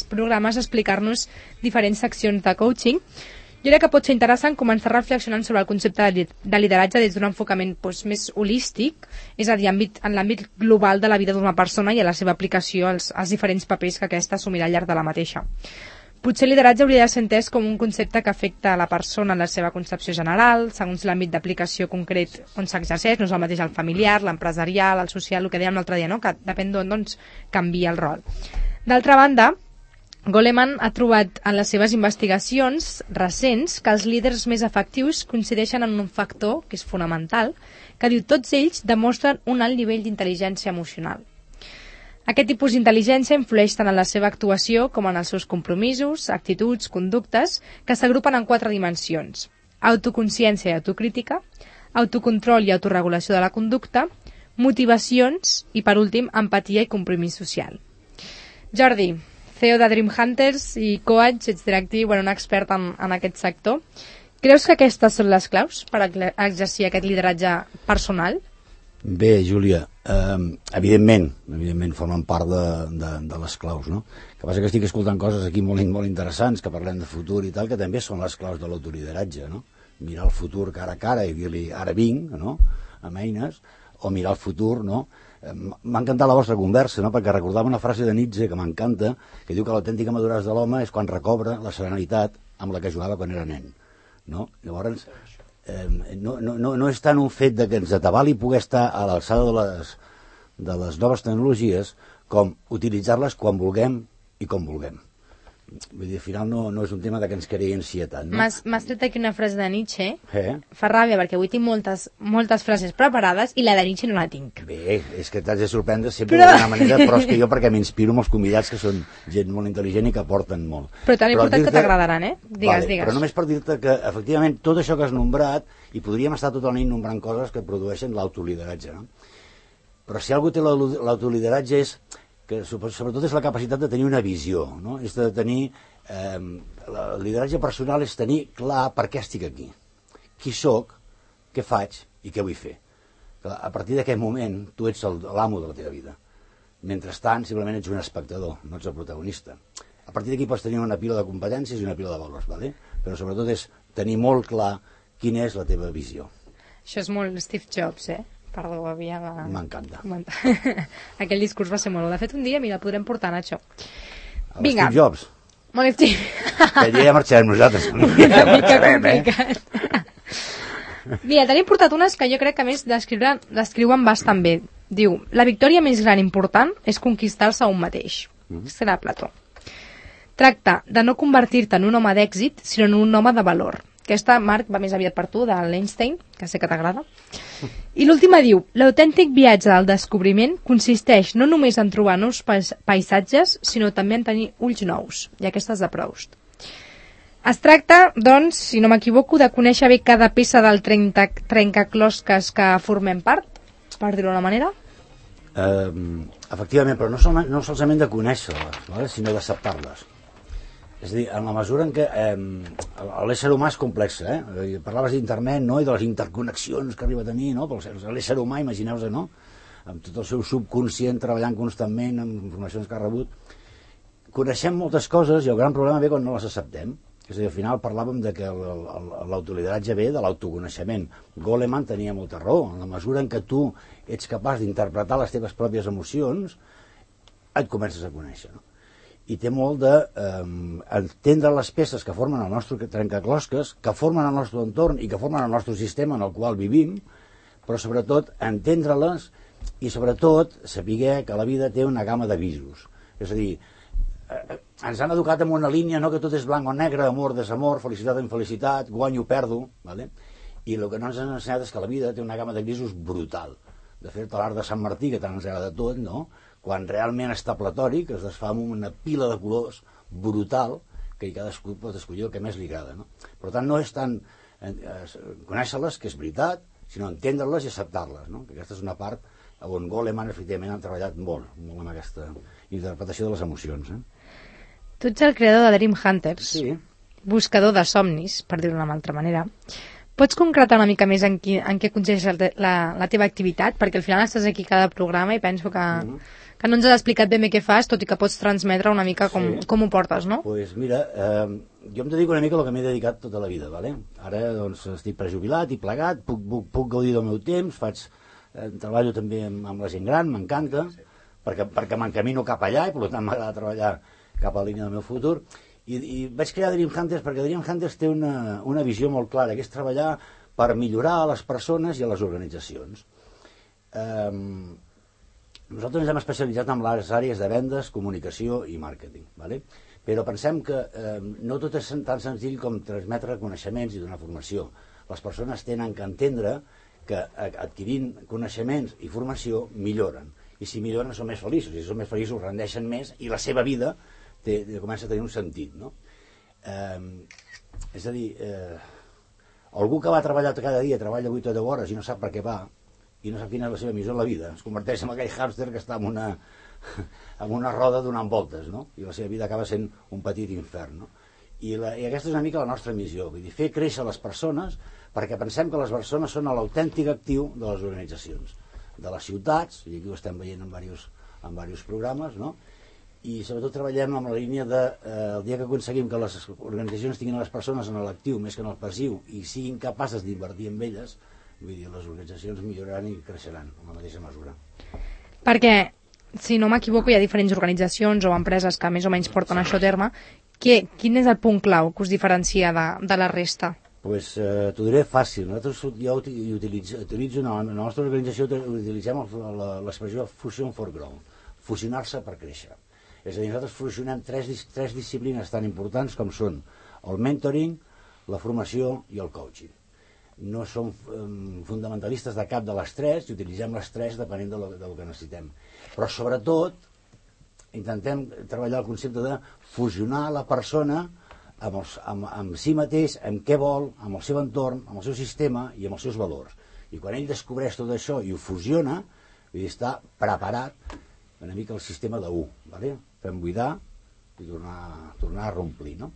programes a explicar-nos diferents seccions de coaching. Jo crec que pot ser interessant començar reflexionant sobre el concepte de lideratge des d'un enfocament més holístic, és a dir, en l'àmbit global de la vida d'una persona i a la seva aplicació als diferents papers que aquesta assumirà al llarg de la mateixa. Potser el lideratge hauria de ser entès com un concepte que afecta a la persona en la seva concepció general, segons l'àmbit d'aplicació concret on s'exerceix, no és el mateix el familiar, l'empresarial, el social, el que dèiem l'altre dia, no? Que depèn d'on canvia el rol. D'altra banda, Goleman ha trobat en les seves investigacions recents que els líders més efectius coincideixen en un factor, que és fonamental, que diu tots ells demostren un alt nivell d'intel·ligència emocional. Aquest tipus d'intel·ligència influeix tant en la seva actuació com en els seus compromisos, actituds, conductes, que s'agrupen en 4 dimensions: autoconsciència i autocrítica, autocontrol i autorregulació de la conducta, motivacions i, per últim, empatia i compromís social. Jordi, CEO de Dream Hunters i coach, ets directiu, un expert en aquest sector. Creus que aquestes són les claus per exercir aquest lideratge personal? Bé, Júlia, evidentment formen part de les claus, no? El que passa que estic escoltant coses aquí molt interessants, que parlem de futur i tal, que també són les claus de l'autolideratge, no? Mirar el futur cara a cara i dir-li ara vinc, no?, amb eines, o mirar el futur, no?, M'ha encantat la vostra conversa, no? Perquè recordava una frase de Nietzsche que m'encanta, que diu que l'autèntica maduresa de l'home és quan recobra la serenitat amb la que jugava quan era nen, no? Llavors, no és tant un fet de que ens atabali poder estar a l'alçada de les noves tecnologies com utilitzar-les quan vulguem i com vulguem. Vull dir, al final no és un tema de que ens creï ansietat, no? M'has tret aquí una frase de Nietzsche. Fa ràbia, perquè avui tinc moltes frases preparades i la de Nietzsche no la tinc. Bé, és que t'has de sorprendre sempre d'alguna manera, però és que jo perquè m'inspiro amb els convidats que són gent molt intel·ligent i que aporten molt. Però tan important que t'agradaran, Digues. Però només per dir-te que, efectivament, tot això que has nombrat, i podríem estar tota la nit nombrant coses que produeixen l'autolideratge, no? Però si algú té l'autolideratge és que sobretot és la capacitat de tenir una visió, no? És de tenir... el lideratge personal és tenir clar per què estic aquí, qui sóc, què faig i què vull fer. A partir d'aquest moment, tu ets l'amo de la teva vida. Mentrestant, simplement ets un espectador, no ets el protagonista. A partir d'aquí pots tenir una pila de competències i una pila de valors, ¿vale? Però sobretot és tenir molt clar quina és la teva visió. Això és molt Steve Jobs, Perdó, havia de... M'encanta. Aquell discurs va ser molt... De fet, un dia, mira, podrem portar Nacho. Vinga. Steve Jobs. Molt Steve. Que ja marxarem nosaltres. Una mica complicat. Mira, t'han portat unes que jo crec que a més descriuen bastant bé. Diu, la victòria més gran important és conquistar-se a un mateix. Serà Plató. Tracta de no convertir-te en un home d'èxit, sinó en un home de valor. Aquesta, Marc, va més aviat per tu, de l'Einstein, que sé que t'agrada. I l'última diu, l'autèntic viatge del descobriment consisteix no només en trobar nous paisatges, sinó també en tenir ulls nous. I aquesta és de Proust. Es tracta, doncs, si no m'equivoco, de conèixer bé cada peça del trencaclosques que formem part, per dir-ho d'una manera. Efectivament, però no solament de conèixer-les, sinó d'acceptar-les. És a dir, en la mesura en què l'ésser humà és complex, parlaves d'internet, no?, i de les interconnexions que arriba a tenir, no?, però l'ésser humà, imagineu-vos, no?, amb tot el seu subconscient treballant constantment amb informacions que ha rebut, coneixem moltes coses i el gran problema ve quan no les acceptem. És a dir, al final parlàvem de que l'autolideratge ve de l'autoconeixement. Goleman tenia molta raó. En la mesura en què tu ets capaç d'interpretar les teves pròpies emocions, et comences a conèixer, no? I té molt d'entendre les peces que formen el nostre trencaclosques, que formen el nostre entorn i que formen el nostre sistema en el qual vivim, però sobretot entendre-les i sobretot saber que la vida té una gamma de visos. És a dir, ens han educat en una línia, no?, que tot és blanc o negre, amor, desamor, felicitat o infelicitat, guanyo o perdo, ¿vale? I el que no ens han ensenyat és que la vida té una gamma de grisos brutal. De fet, l'art de Sant Martí, que tant ens agrada tot, no?, quan realment està platòric, es desfà amb una pila de colors brutal, que cadascú pot escollir el que més li agrada, no? Per tant, no és tant conèixer-les, que és veritat, sinó entendre-les i acceptar-les, no? Que aquesta és una part on Goleman, efectivament, han treballat molt amb aquesta interpretació de les emocions. Tu ets el creador de Dream Hunters, sí. Buscador de somnis, per dir-ho d'una altra manera. Pots concretar una mica més en què consisteix la teva activitat? Perquè al final estàs aquí cada programa i penso que no ens has explicat ben bé què fas, tot i que pots transmetre una mica com ho portes, no? Doncs mira, jo em dedico una mica al que m'he dedicat tota la vida, ¿vale? Ara doncs, estic prejubilat i plegat, puc gaudir del meu temps, treballo també amb la gent gran, m'encanta, perquè m'encamino cap allà i per tant m'agrada treballar cap a la línia del meu futur. I vaig crear Dream Hunters perquè Dream Hunters té una visió molt clara, que és treballar per millorar a les persones i a les organitzacions. Nosaltres ens hem especialitzat en les àrees de vendes, comunicació i màrqueting, ¿vale? Però pensem que no tot és tan senzill com transmetre coneixements i donar formació. Les persones tenen que entendre que adquirint coneixements i formació milloren. I si milloren són més feliços, i si són més feliços rendeixen més i la seva vida comença a tenir un sentit, no? És a dir, algú que va treballar cada dia, treballa 8 o 10 hores i no sap per què va, i no sap quina és la seva missió en la vida, es converteix en aquell hàmster que està en una roda donant voltes, no? I la seva vida acaba sent un petit infern, no? I aquesta és una mica la nostra missió, vull dir, fer créixer les persones, perquè pensem que les persones són l'autèntic actiu de les organitzacions, de les ciutats, i aquí ho estem veient en diversos programes, no? I sobretot treballem amb la línia de el dia que aconseguim que les organitzacions tinguin les persones en l'actiu més que en el passiu i siguin capaces d'invertir en elles, vull dir, les organitzacions milloraran i creixeran en la mateixa mesura. Perquè, si no m'equivoco, hi ha diferents organitzacions o empreses que més o menys porten això a terme. Quin és el punt clau que us diferencia de la resta? Pues t'ho diré fàcil. Nosaltres utilitzo la nostra organització utilitzem l'expressió fusion for growth, fusionar-se per créixer. És a dir, nosaltres fusionem tres disciplines tan importants com són el mentoring, la formació i el coaching. No som fonamentalistes de cap de les tres i utilitzem les tres depenent del que necessitem. Però sobretot intentem treballar el concepte de fusionar la persona amb si mateix, amb què vol, amb el seu entorn, amb el seu sistema i amb els seus valors. I quan ell descobreix tot això i ho fusiona, està preparat una mica el sistema de 1, ¿vale? Fem buidar i tornar a romplir, no?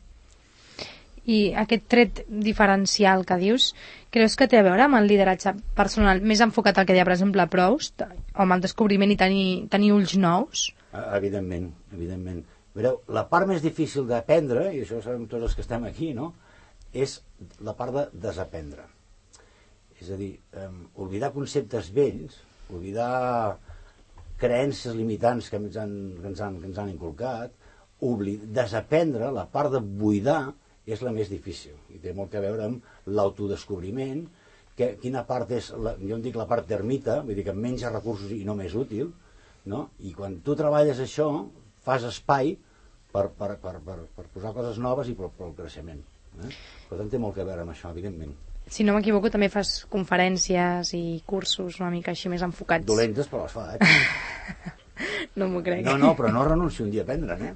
I aquest tret diferencial que dius, creus que té a veure amb el lideratge personal més enfocat al que deia, per exemple, Proust, o amb el descobriment i tenir ulls nous? Evidentment. Veureu, la part més difícil d'aprendre, i això ho sabem tots els que estem aquí, no?, és la part de desaprendre. És a dir, oblidar conceptes vells, oblidar creences limitants que ens han inculcat, desaprendre, la part de buidar, és la més difícil. I té molt a veure amb l'autodescobriment, quina part és, jo en dic la part termita, vull dir que menys recursos i no més útil, no? I quan tu treballes això, fas espai per posar coses noves i per al creixement. Per tant, té molt a veure amb això, evidentment. Si no m'equivoco, també fas conferències i cursos una mica així més enfocats. Dolentes, però les fa, No m'ho crec. No, però no renuncio un dia a aprendre,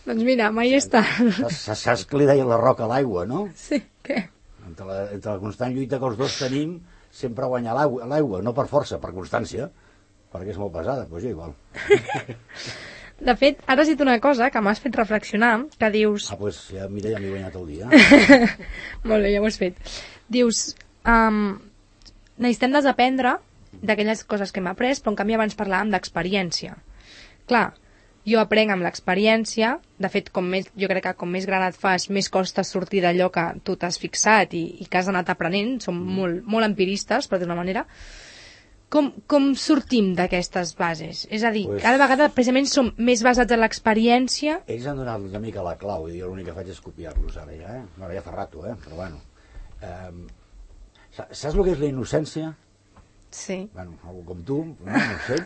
Doncs mira, mai està. Saps que li deia la roca a l'aigua, no? Sí, què? Entre la constant lluita que els dos tenim, sempre guanyar l'aigua, no per força, per constància, perquè és molt pesada, doncs jo igual. De fet, ara has dit una cosa que m'has fet reflexionar, que dius... Doncs ja, mira, ja m'he guanyat el dia. Molt bé, ja ho has fet. Dius, necessitem desaprendre d'aquelles coses que hem après, però en canvi abans parlàvem d'experiència. Clar, jo aprenc amb l'experiència, de fet, jo crec que com més gran et fas, més costa sortir d'allò que tu t'has fixat i que has anat aprenent, som molt empiristes, per d'una manera. Com sortim d'aquestes bases? És a dir, cada vegada precisament som més basats en l'experiència. Ells han donat una mica la clau, i jo l'únic que faig és copiar-los ara ja, Ara ja fa rato, però bueno. Saps el que és la innocència? Sí. Bueno, algú com tu, no sé.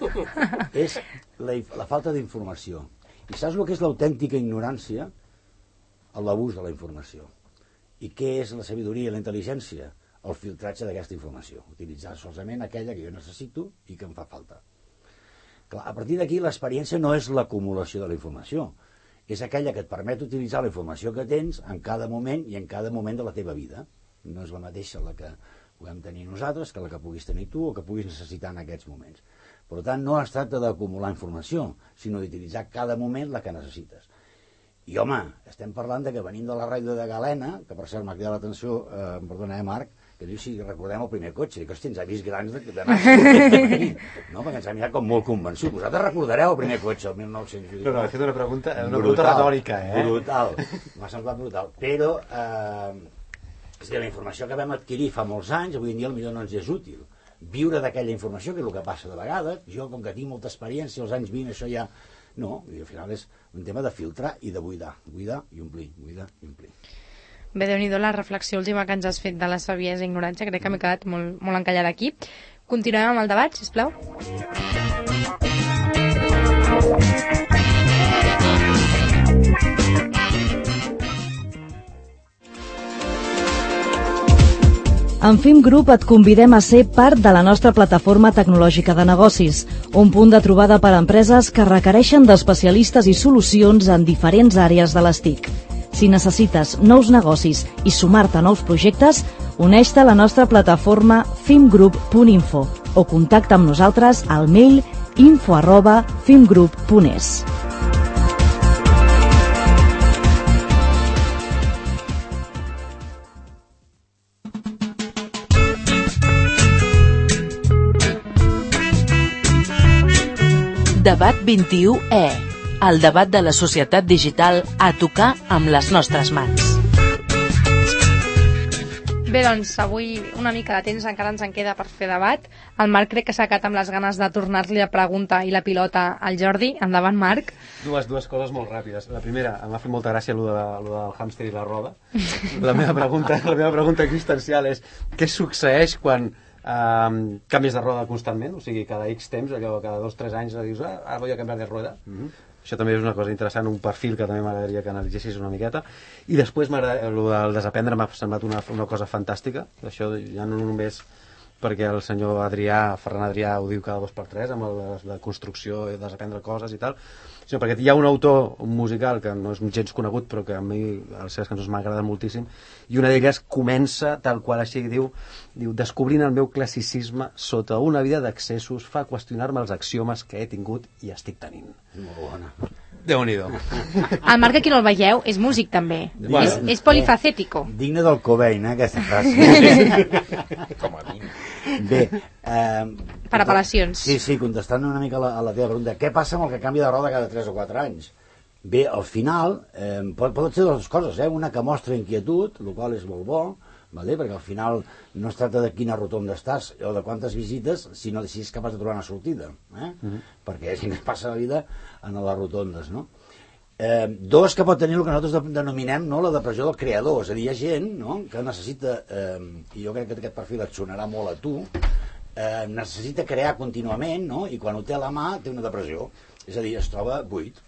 És la falta d'informació. I saps el que és l'autèntica ignorància? L'abús de la informació. I què és la sabidoria i la intel·ligència? El filtratge d'aquesta informació, utilitzar solament aquella que jo necessito i que em fa falta. Clar, a partir d'aquí l'experiència no és l'acumulació de la informació, és aquella que et permet utilitzar la informació que tens en cada moment i en cada moment de la teva vida. No és la mateixa la que puguem tenir nosaltres que la que puguis tenir tu o que puguis necessitar en aquests moments. Per tant, no es tracta d'acumular informació, sinó d'utilitzar cada moment la que necessites. I home, estem parlant de que venim de la ràdio de Galena, que per cert m'ha cridat l'atenció, perdona, Marc, que diu si recordem el primer cotxe, dic, hosti, ens ha vist grans de no, perquè ens ha mirat com molt convençut. Vosaltres recordareu el primer cotxe, el 1900? No, he fet una pregunta retòrica, Brutal, m'ha semblat brutal. Però, és dir, la informació que vam adquirir fa molts anys, avui en dia potser no ens és útil. Viure d'aquella informació, que és el que passa de vegades, jo com que tinc molta experiència, als anys 20 això ja... No, i al final és un tema de filtrar i de buidar i omplir, buidar i omplir. Bé, Déu-n'hi-do la reflexió última que ens has fet de la saviesa i ignorància, crec que m'he quedat molt encallada aquí. Continuem amb el debat, sisplau. En FIM Group et convidem a ser part de la nostra plataforma tecnològica de negocis, un punt de trobada per a empreses que requereixen d'especialistes i solucions en diferents àrees de les TIC. Si necessites nous negocis i sumar-te a nous projectes, uneix-te a la nostra plataforma fimgroup.info o contacta amb nosaltres al mail info@fimgroup.es. Debat 21E, el debat de la societat digital a tocar amb les nostres mans. Bé, doncs, avui una mica de temps encara ens en queda per fer debat. El Marc crec que s'ha quedat amb les ganes de tornar-li la pregunta i la pilota al Jordi. Endavant, Marc. Dues coses molt ràpides. La primera, em va fer molta gràcia lo del hàmster i la roda. La meva pregunta existencial és què succeeix quan canvies de roda constantment? O sigui, cada X temps, allò, cada 2-3 anys dius, ara voy a canviar de rueda. Això també és una cosa interessant, un perfil que també m'agradaria que analitzessis una miqueta. I després el del desaprendre m'ha semblat una cosa fantàstica. Això ja no només perquè el senyor Ferran Adrià ho diu cada 2x3 amb la construcció, desaprendre coses i tal, sinó perquè hi ha un autor musical que no és gens conegut però que a mi les seves cançons m'agraden moltíssim, i una d'elles comença tal qual així, diu descobrint el meu classicisme sota una vida d'accessos fa qüestionar-me els axiomes que he tingut i estic tenint. Molt bona. Déu-n'hi-do. El Marc, aquí no el veieu, és músic també. Bueno, és polifacético. Digne del Cobain, aquesta frase. Com a mínim. Bé, Per apel·lacions. Sí, contestant una mica a la teva pregunta, què passa amb el que canvia de roda cada 3 o 4 anys? Bé, al final, pot ser dues coses, una que mostra inquietud, el qual és molt bo, vale? Perquè al final no es tracta de quina rotonda estàs o de quantes visites, sinó de si és capaç de trobar una sortida, perquè és que es passa la vida en les rotondes, no? Dos, que pot tenir el que nosaltres denominem, no, la depressió del creador, és a dir, hi ha gent, no, que necessita, i jo crec que aquest perfil et sonarà molt a tu, necessita crear contínuament, no? I quan ho té a la mà té una depressió, és a dir, es troba buit.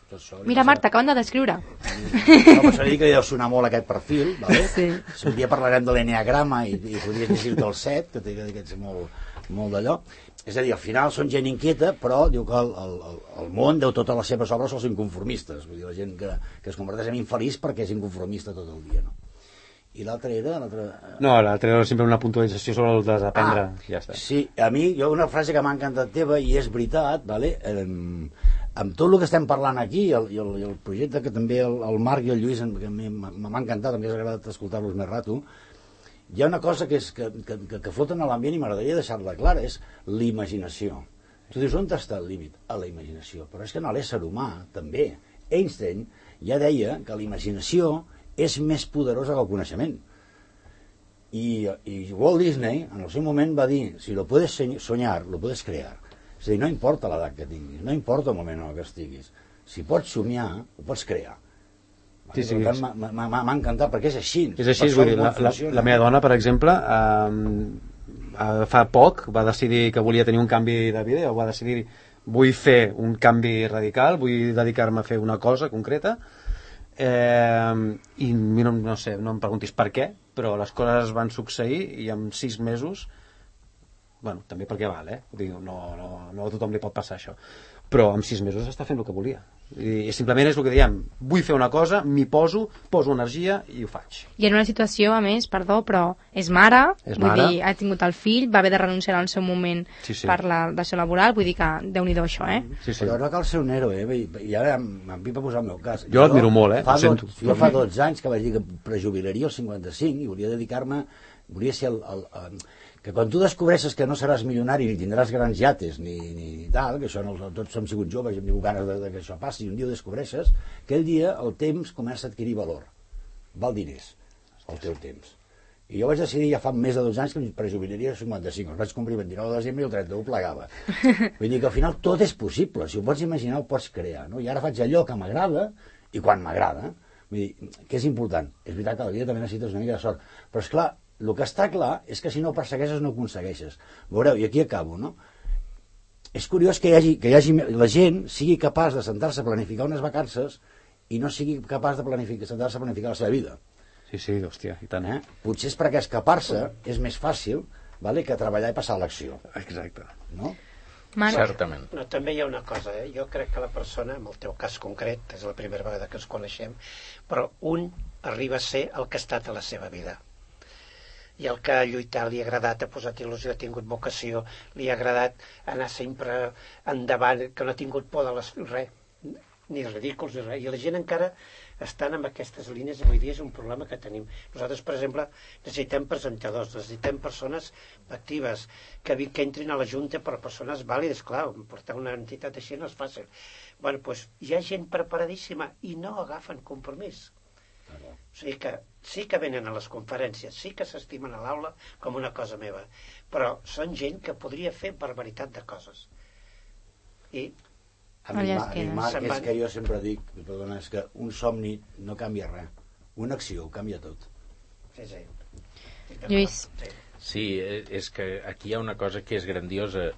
Mira, Marta, acaben de descriure. No, però s'ha dit que deu sonar molt aquest perfil, vale? Sí. Si un dia parlarem de l'enneagrama i podries llegir-te el 7, que té aquests molt d'allò. És a dir, al final són gent inquieta, però diu que el món deu totes les seves obres als inconformistes, vull dir, la gent que es converteix en infeliç perquè és inconformista tot el dia, no? I l'altra era? No, l'altra era sempre una puntualització sobre el desaprendre. Ja està. Sí, a mi, una frase que m'ha encantat teva, i és veritat, vale? Amb tot el que estem parlant aquí, i el projecte que també el Marc i el Lluís, que m'ha encantat, m'ha agradat escoltar-los més rato, hi ha una cosa que flota en l'ambient i m'agradaria deixar-la clara, és l'imaginació. Tu dius, on està el límit? A la imaginació. Però és que en l'ésser humà, també. Einstein ja deia que la imaginació és més poderosa que el coneixement. I Walt Disney, en el seu moment, va dir, si lo puedes soñar, lo puedes crear. És a dir, no importa l'edat que tinguis, no importa el moment en què estiguis. Si pots somiar, ho pots crear. Sí, sí, per tant, m'ha encantat, perquè és així. És així, vull dir, la meva dona, per exemple, fa poc va decidir que volia tenir un canvi de vida, o va decidir, vull fer un canvi radical, vull dedicar-me a fer una cosa concreta, i no sé, no em preguntis per què, però les coses van succeir i en 6 mesos, bueno, també perquè val, no a tothom li pot passar això, però en 6 mesos està fent el que volia. I simplement és el que diem, vull fer una cosa, m'hi poso energia i ho faig. I en una situació, a més, perdó, però és mare, vull dir, ha tingut el fill, va haver de renunciar en el seu moment per la dació laboral, vull dir que Déu-n'hi-do això, Però no cal ser un héroe, i ara m'empipa posar el meu cas. Jo l'admiro molt, ho sento. Jo fa 12 anys que vaig dir que prejubilaria als 55 i volia dedicar-me, volia ser que quan tu descobreixes que no seràs milionari ni tindràs grans yates ni tal, que això tots hem sigut joves i hem tingut ganes que això passi, i un dia ho descobreixes, aquell dia el temps comença a adquirir valor, val diners el teu temps. I jo vaig decidir ja fa més de 2 anys que em prejubilaria a 55, els vaig complir el 29 de desembre i el 31 plegava. Vull dir que al final tot és possible, si ho pots imaginar ho pots crear, no? I ara faig allò que m'agrada i quan m'agrada. Vull dir, que és important, és veritat que a la vida també necessites una mica de sort, però és clar, el que està clar és que si no persegueixes no aconsegueixes. Veureu, i aquí acabo, no? És curiós que la gent sigui capaç de sentar-se a planificar unes vacances i no sigui capaç de sentar-se a planificar la seva vida. Sí, hòstia, i tant. Potser és perquè escapar-se és més fàcil, vale, que treballar i passar a l'acció. Exacte. No? Certament. No, també hi ha una cosa, jo crec que la persona, en el teu cas concret, és la primera vegada que ens coneixem, però un arriba a ser el que ha estat a la seva vida. I el que ha lluitat, li ha agradat, ha posat il·lusió, ha tingut vocació, li ha agradat anar sempre endavant, que no ha tingut por de res, ni ridículs ni res. I la gent encara estan amb aquestes línies, avui dia és un problema que tenim. Nosaltres, per exemple, necessitem presentadors, necessitem persones actives, que entrin a la Junta per persones vàlides, clar, portar una entitat així no és fàcil. Bueno, doncs hi ha gent preparadíssima i no agafen compromís. O sigui que sí que venen a les conferències, sí que s'estimen a l'aula com una cosa meva, però són gent que podria fer barbaritat de coses. I a mi, Marc, és que jo sempre dic, perdona, és que un somni no canvia res, una acció ho canvia tot. Sí. Lluís. Sí, és que aquí hi ha una cosa que és grandiosa.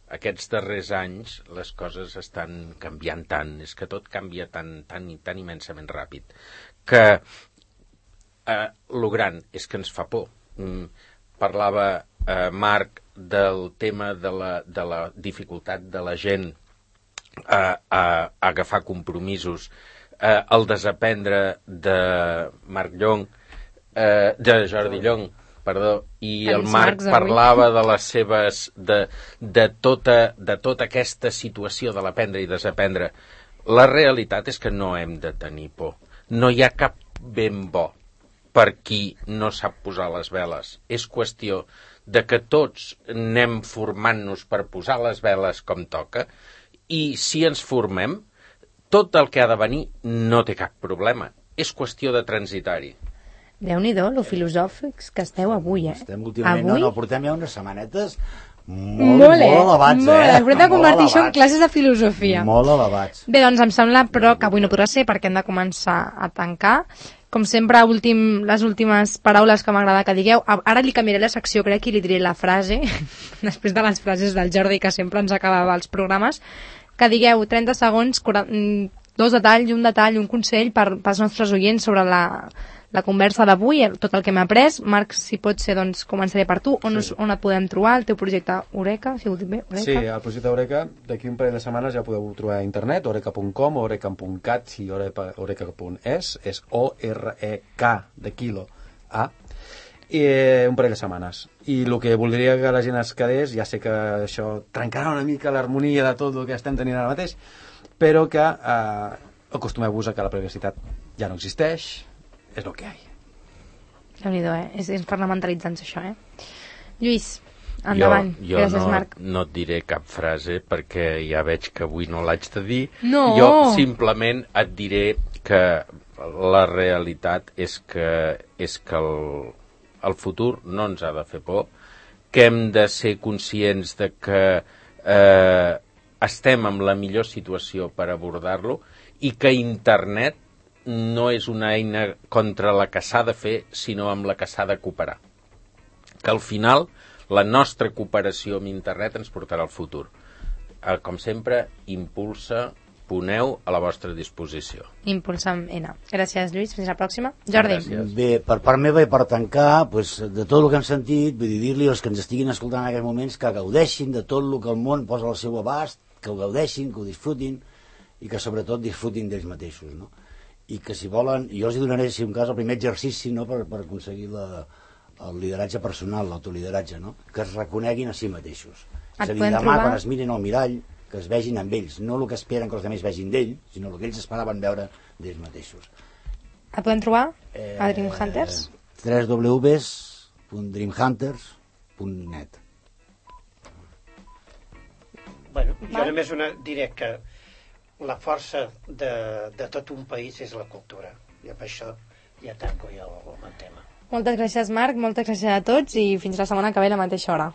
Aquests darrers anys les coses estan canviant tant, és que tot canvia tan immensament ràpid, que lo gran és que ens fa por. Parlava Marc del tema de la dificultat de la gent a agafar compromisos, el desaprendre de Marc Llong, de Jordi Llong, perdó, i el Marc parlava de les seves de tota aquesta situació de l'aprendre i desaprendre. La realitat és que no hem de tenir por. No hi ha cap ben bo per qui no sap posar les veles. És qüestió de que tots anem formant-nos per posar les veles com toca, i si ens formem, tot el que ha de venir no té cap problema. És qüestió de transitar-hi. Déu-n'hi-do, lo filosòfics que esteu avui, Estem últimament, avui... no, portem ja unes setmanetes molt elevats, Hem de convertir això en classes de filosofia. Molt elevats. Bé, doncs em sembla, però, que avui no podrà ser perquè hem de començar a tancar. Com sempre, les últimes paraules que m'agrada que digueu. Ara li canviaré la secció, crec, i li diré la frase, després de les frases del Jordi, que sempre ens acabava els programes, que digueu 30 segons, 2 detalls, un detall, un consell pels nostres oients sobre la conversa d'avui, tot el que m'ha après. Marc, si pot ser, doncs començaré per tu. On et podem trobar? El teu projecte Eureka, si ho dic bé? Eureka? Sí, el projecte Eureka, d'aquí un parell de setmanes ja podeu trobar a internet, eureka.com, eureka.cat, si eureka.es, és O-R-E-K de quilo, A, i un parell de setmanes. I el que voldria que la gent es quedés, ja sé que això trencarà una mica l'harmonia de tot el que estem tenint ara mateix, però que acostumeu-vos a que la privacitat ja no existeix, és el que hi ha. Déu-n'hi-do, és parlamentaritzant això, Lluís, endavant. Gràcies, Marc. Jo no et diré cap frase perquè ja veig que avui no l'haig de dir. No. Jo simplement et diré que la realitat és que el futur no ens ha de fer por, que hem de ser conscients de que estem en la millor situació per abordar-lo i que internet no és una eina contra la que s'ha de fer, sinó amb la que s'ha de cooperar. Que al final la nostra cooperació amb internet ens portarà al futur. Com sempre, impulsa, poneu a la vostra disposició. Impulsa amb N. Gràcies, Lluís. Fins la pròxima. Jordi. Gràcies. Bé, per part meva i per tancar, pues, de tot el que hem sentit, vull dir-li als que ens estiguin escoltant en aquests moments que gaudeixin de tot el que el món posa al seu abast, que ho gaudeixin, que ho disfrutin i que sobretot disfrutin d'ells mateixos, no? I que si volen, jo els donaré, si un cas, el primer exercici, no?, per aconseguir el lideratge personal, l'autolideratge, no?, que es reconeguin a si mateixos. És a dir, demà, quan es mirin al mirall, que es vegin amb ells, no el que esperen que els altres vegin d'ell, sinó el que ells esperaven veure d'ells mateixos. Et podem trobar a Dream Hunters? www.dreamhunters.net. Bueno, jo només diré que la força de tot un país és la cultura. I amb això ja tanco jo el tema. Moltes gràcies, Marc, moltes gràcies a tots i fins la setmana que ve a la mateixa hora.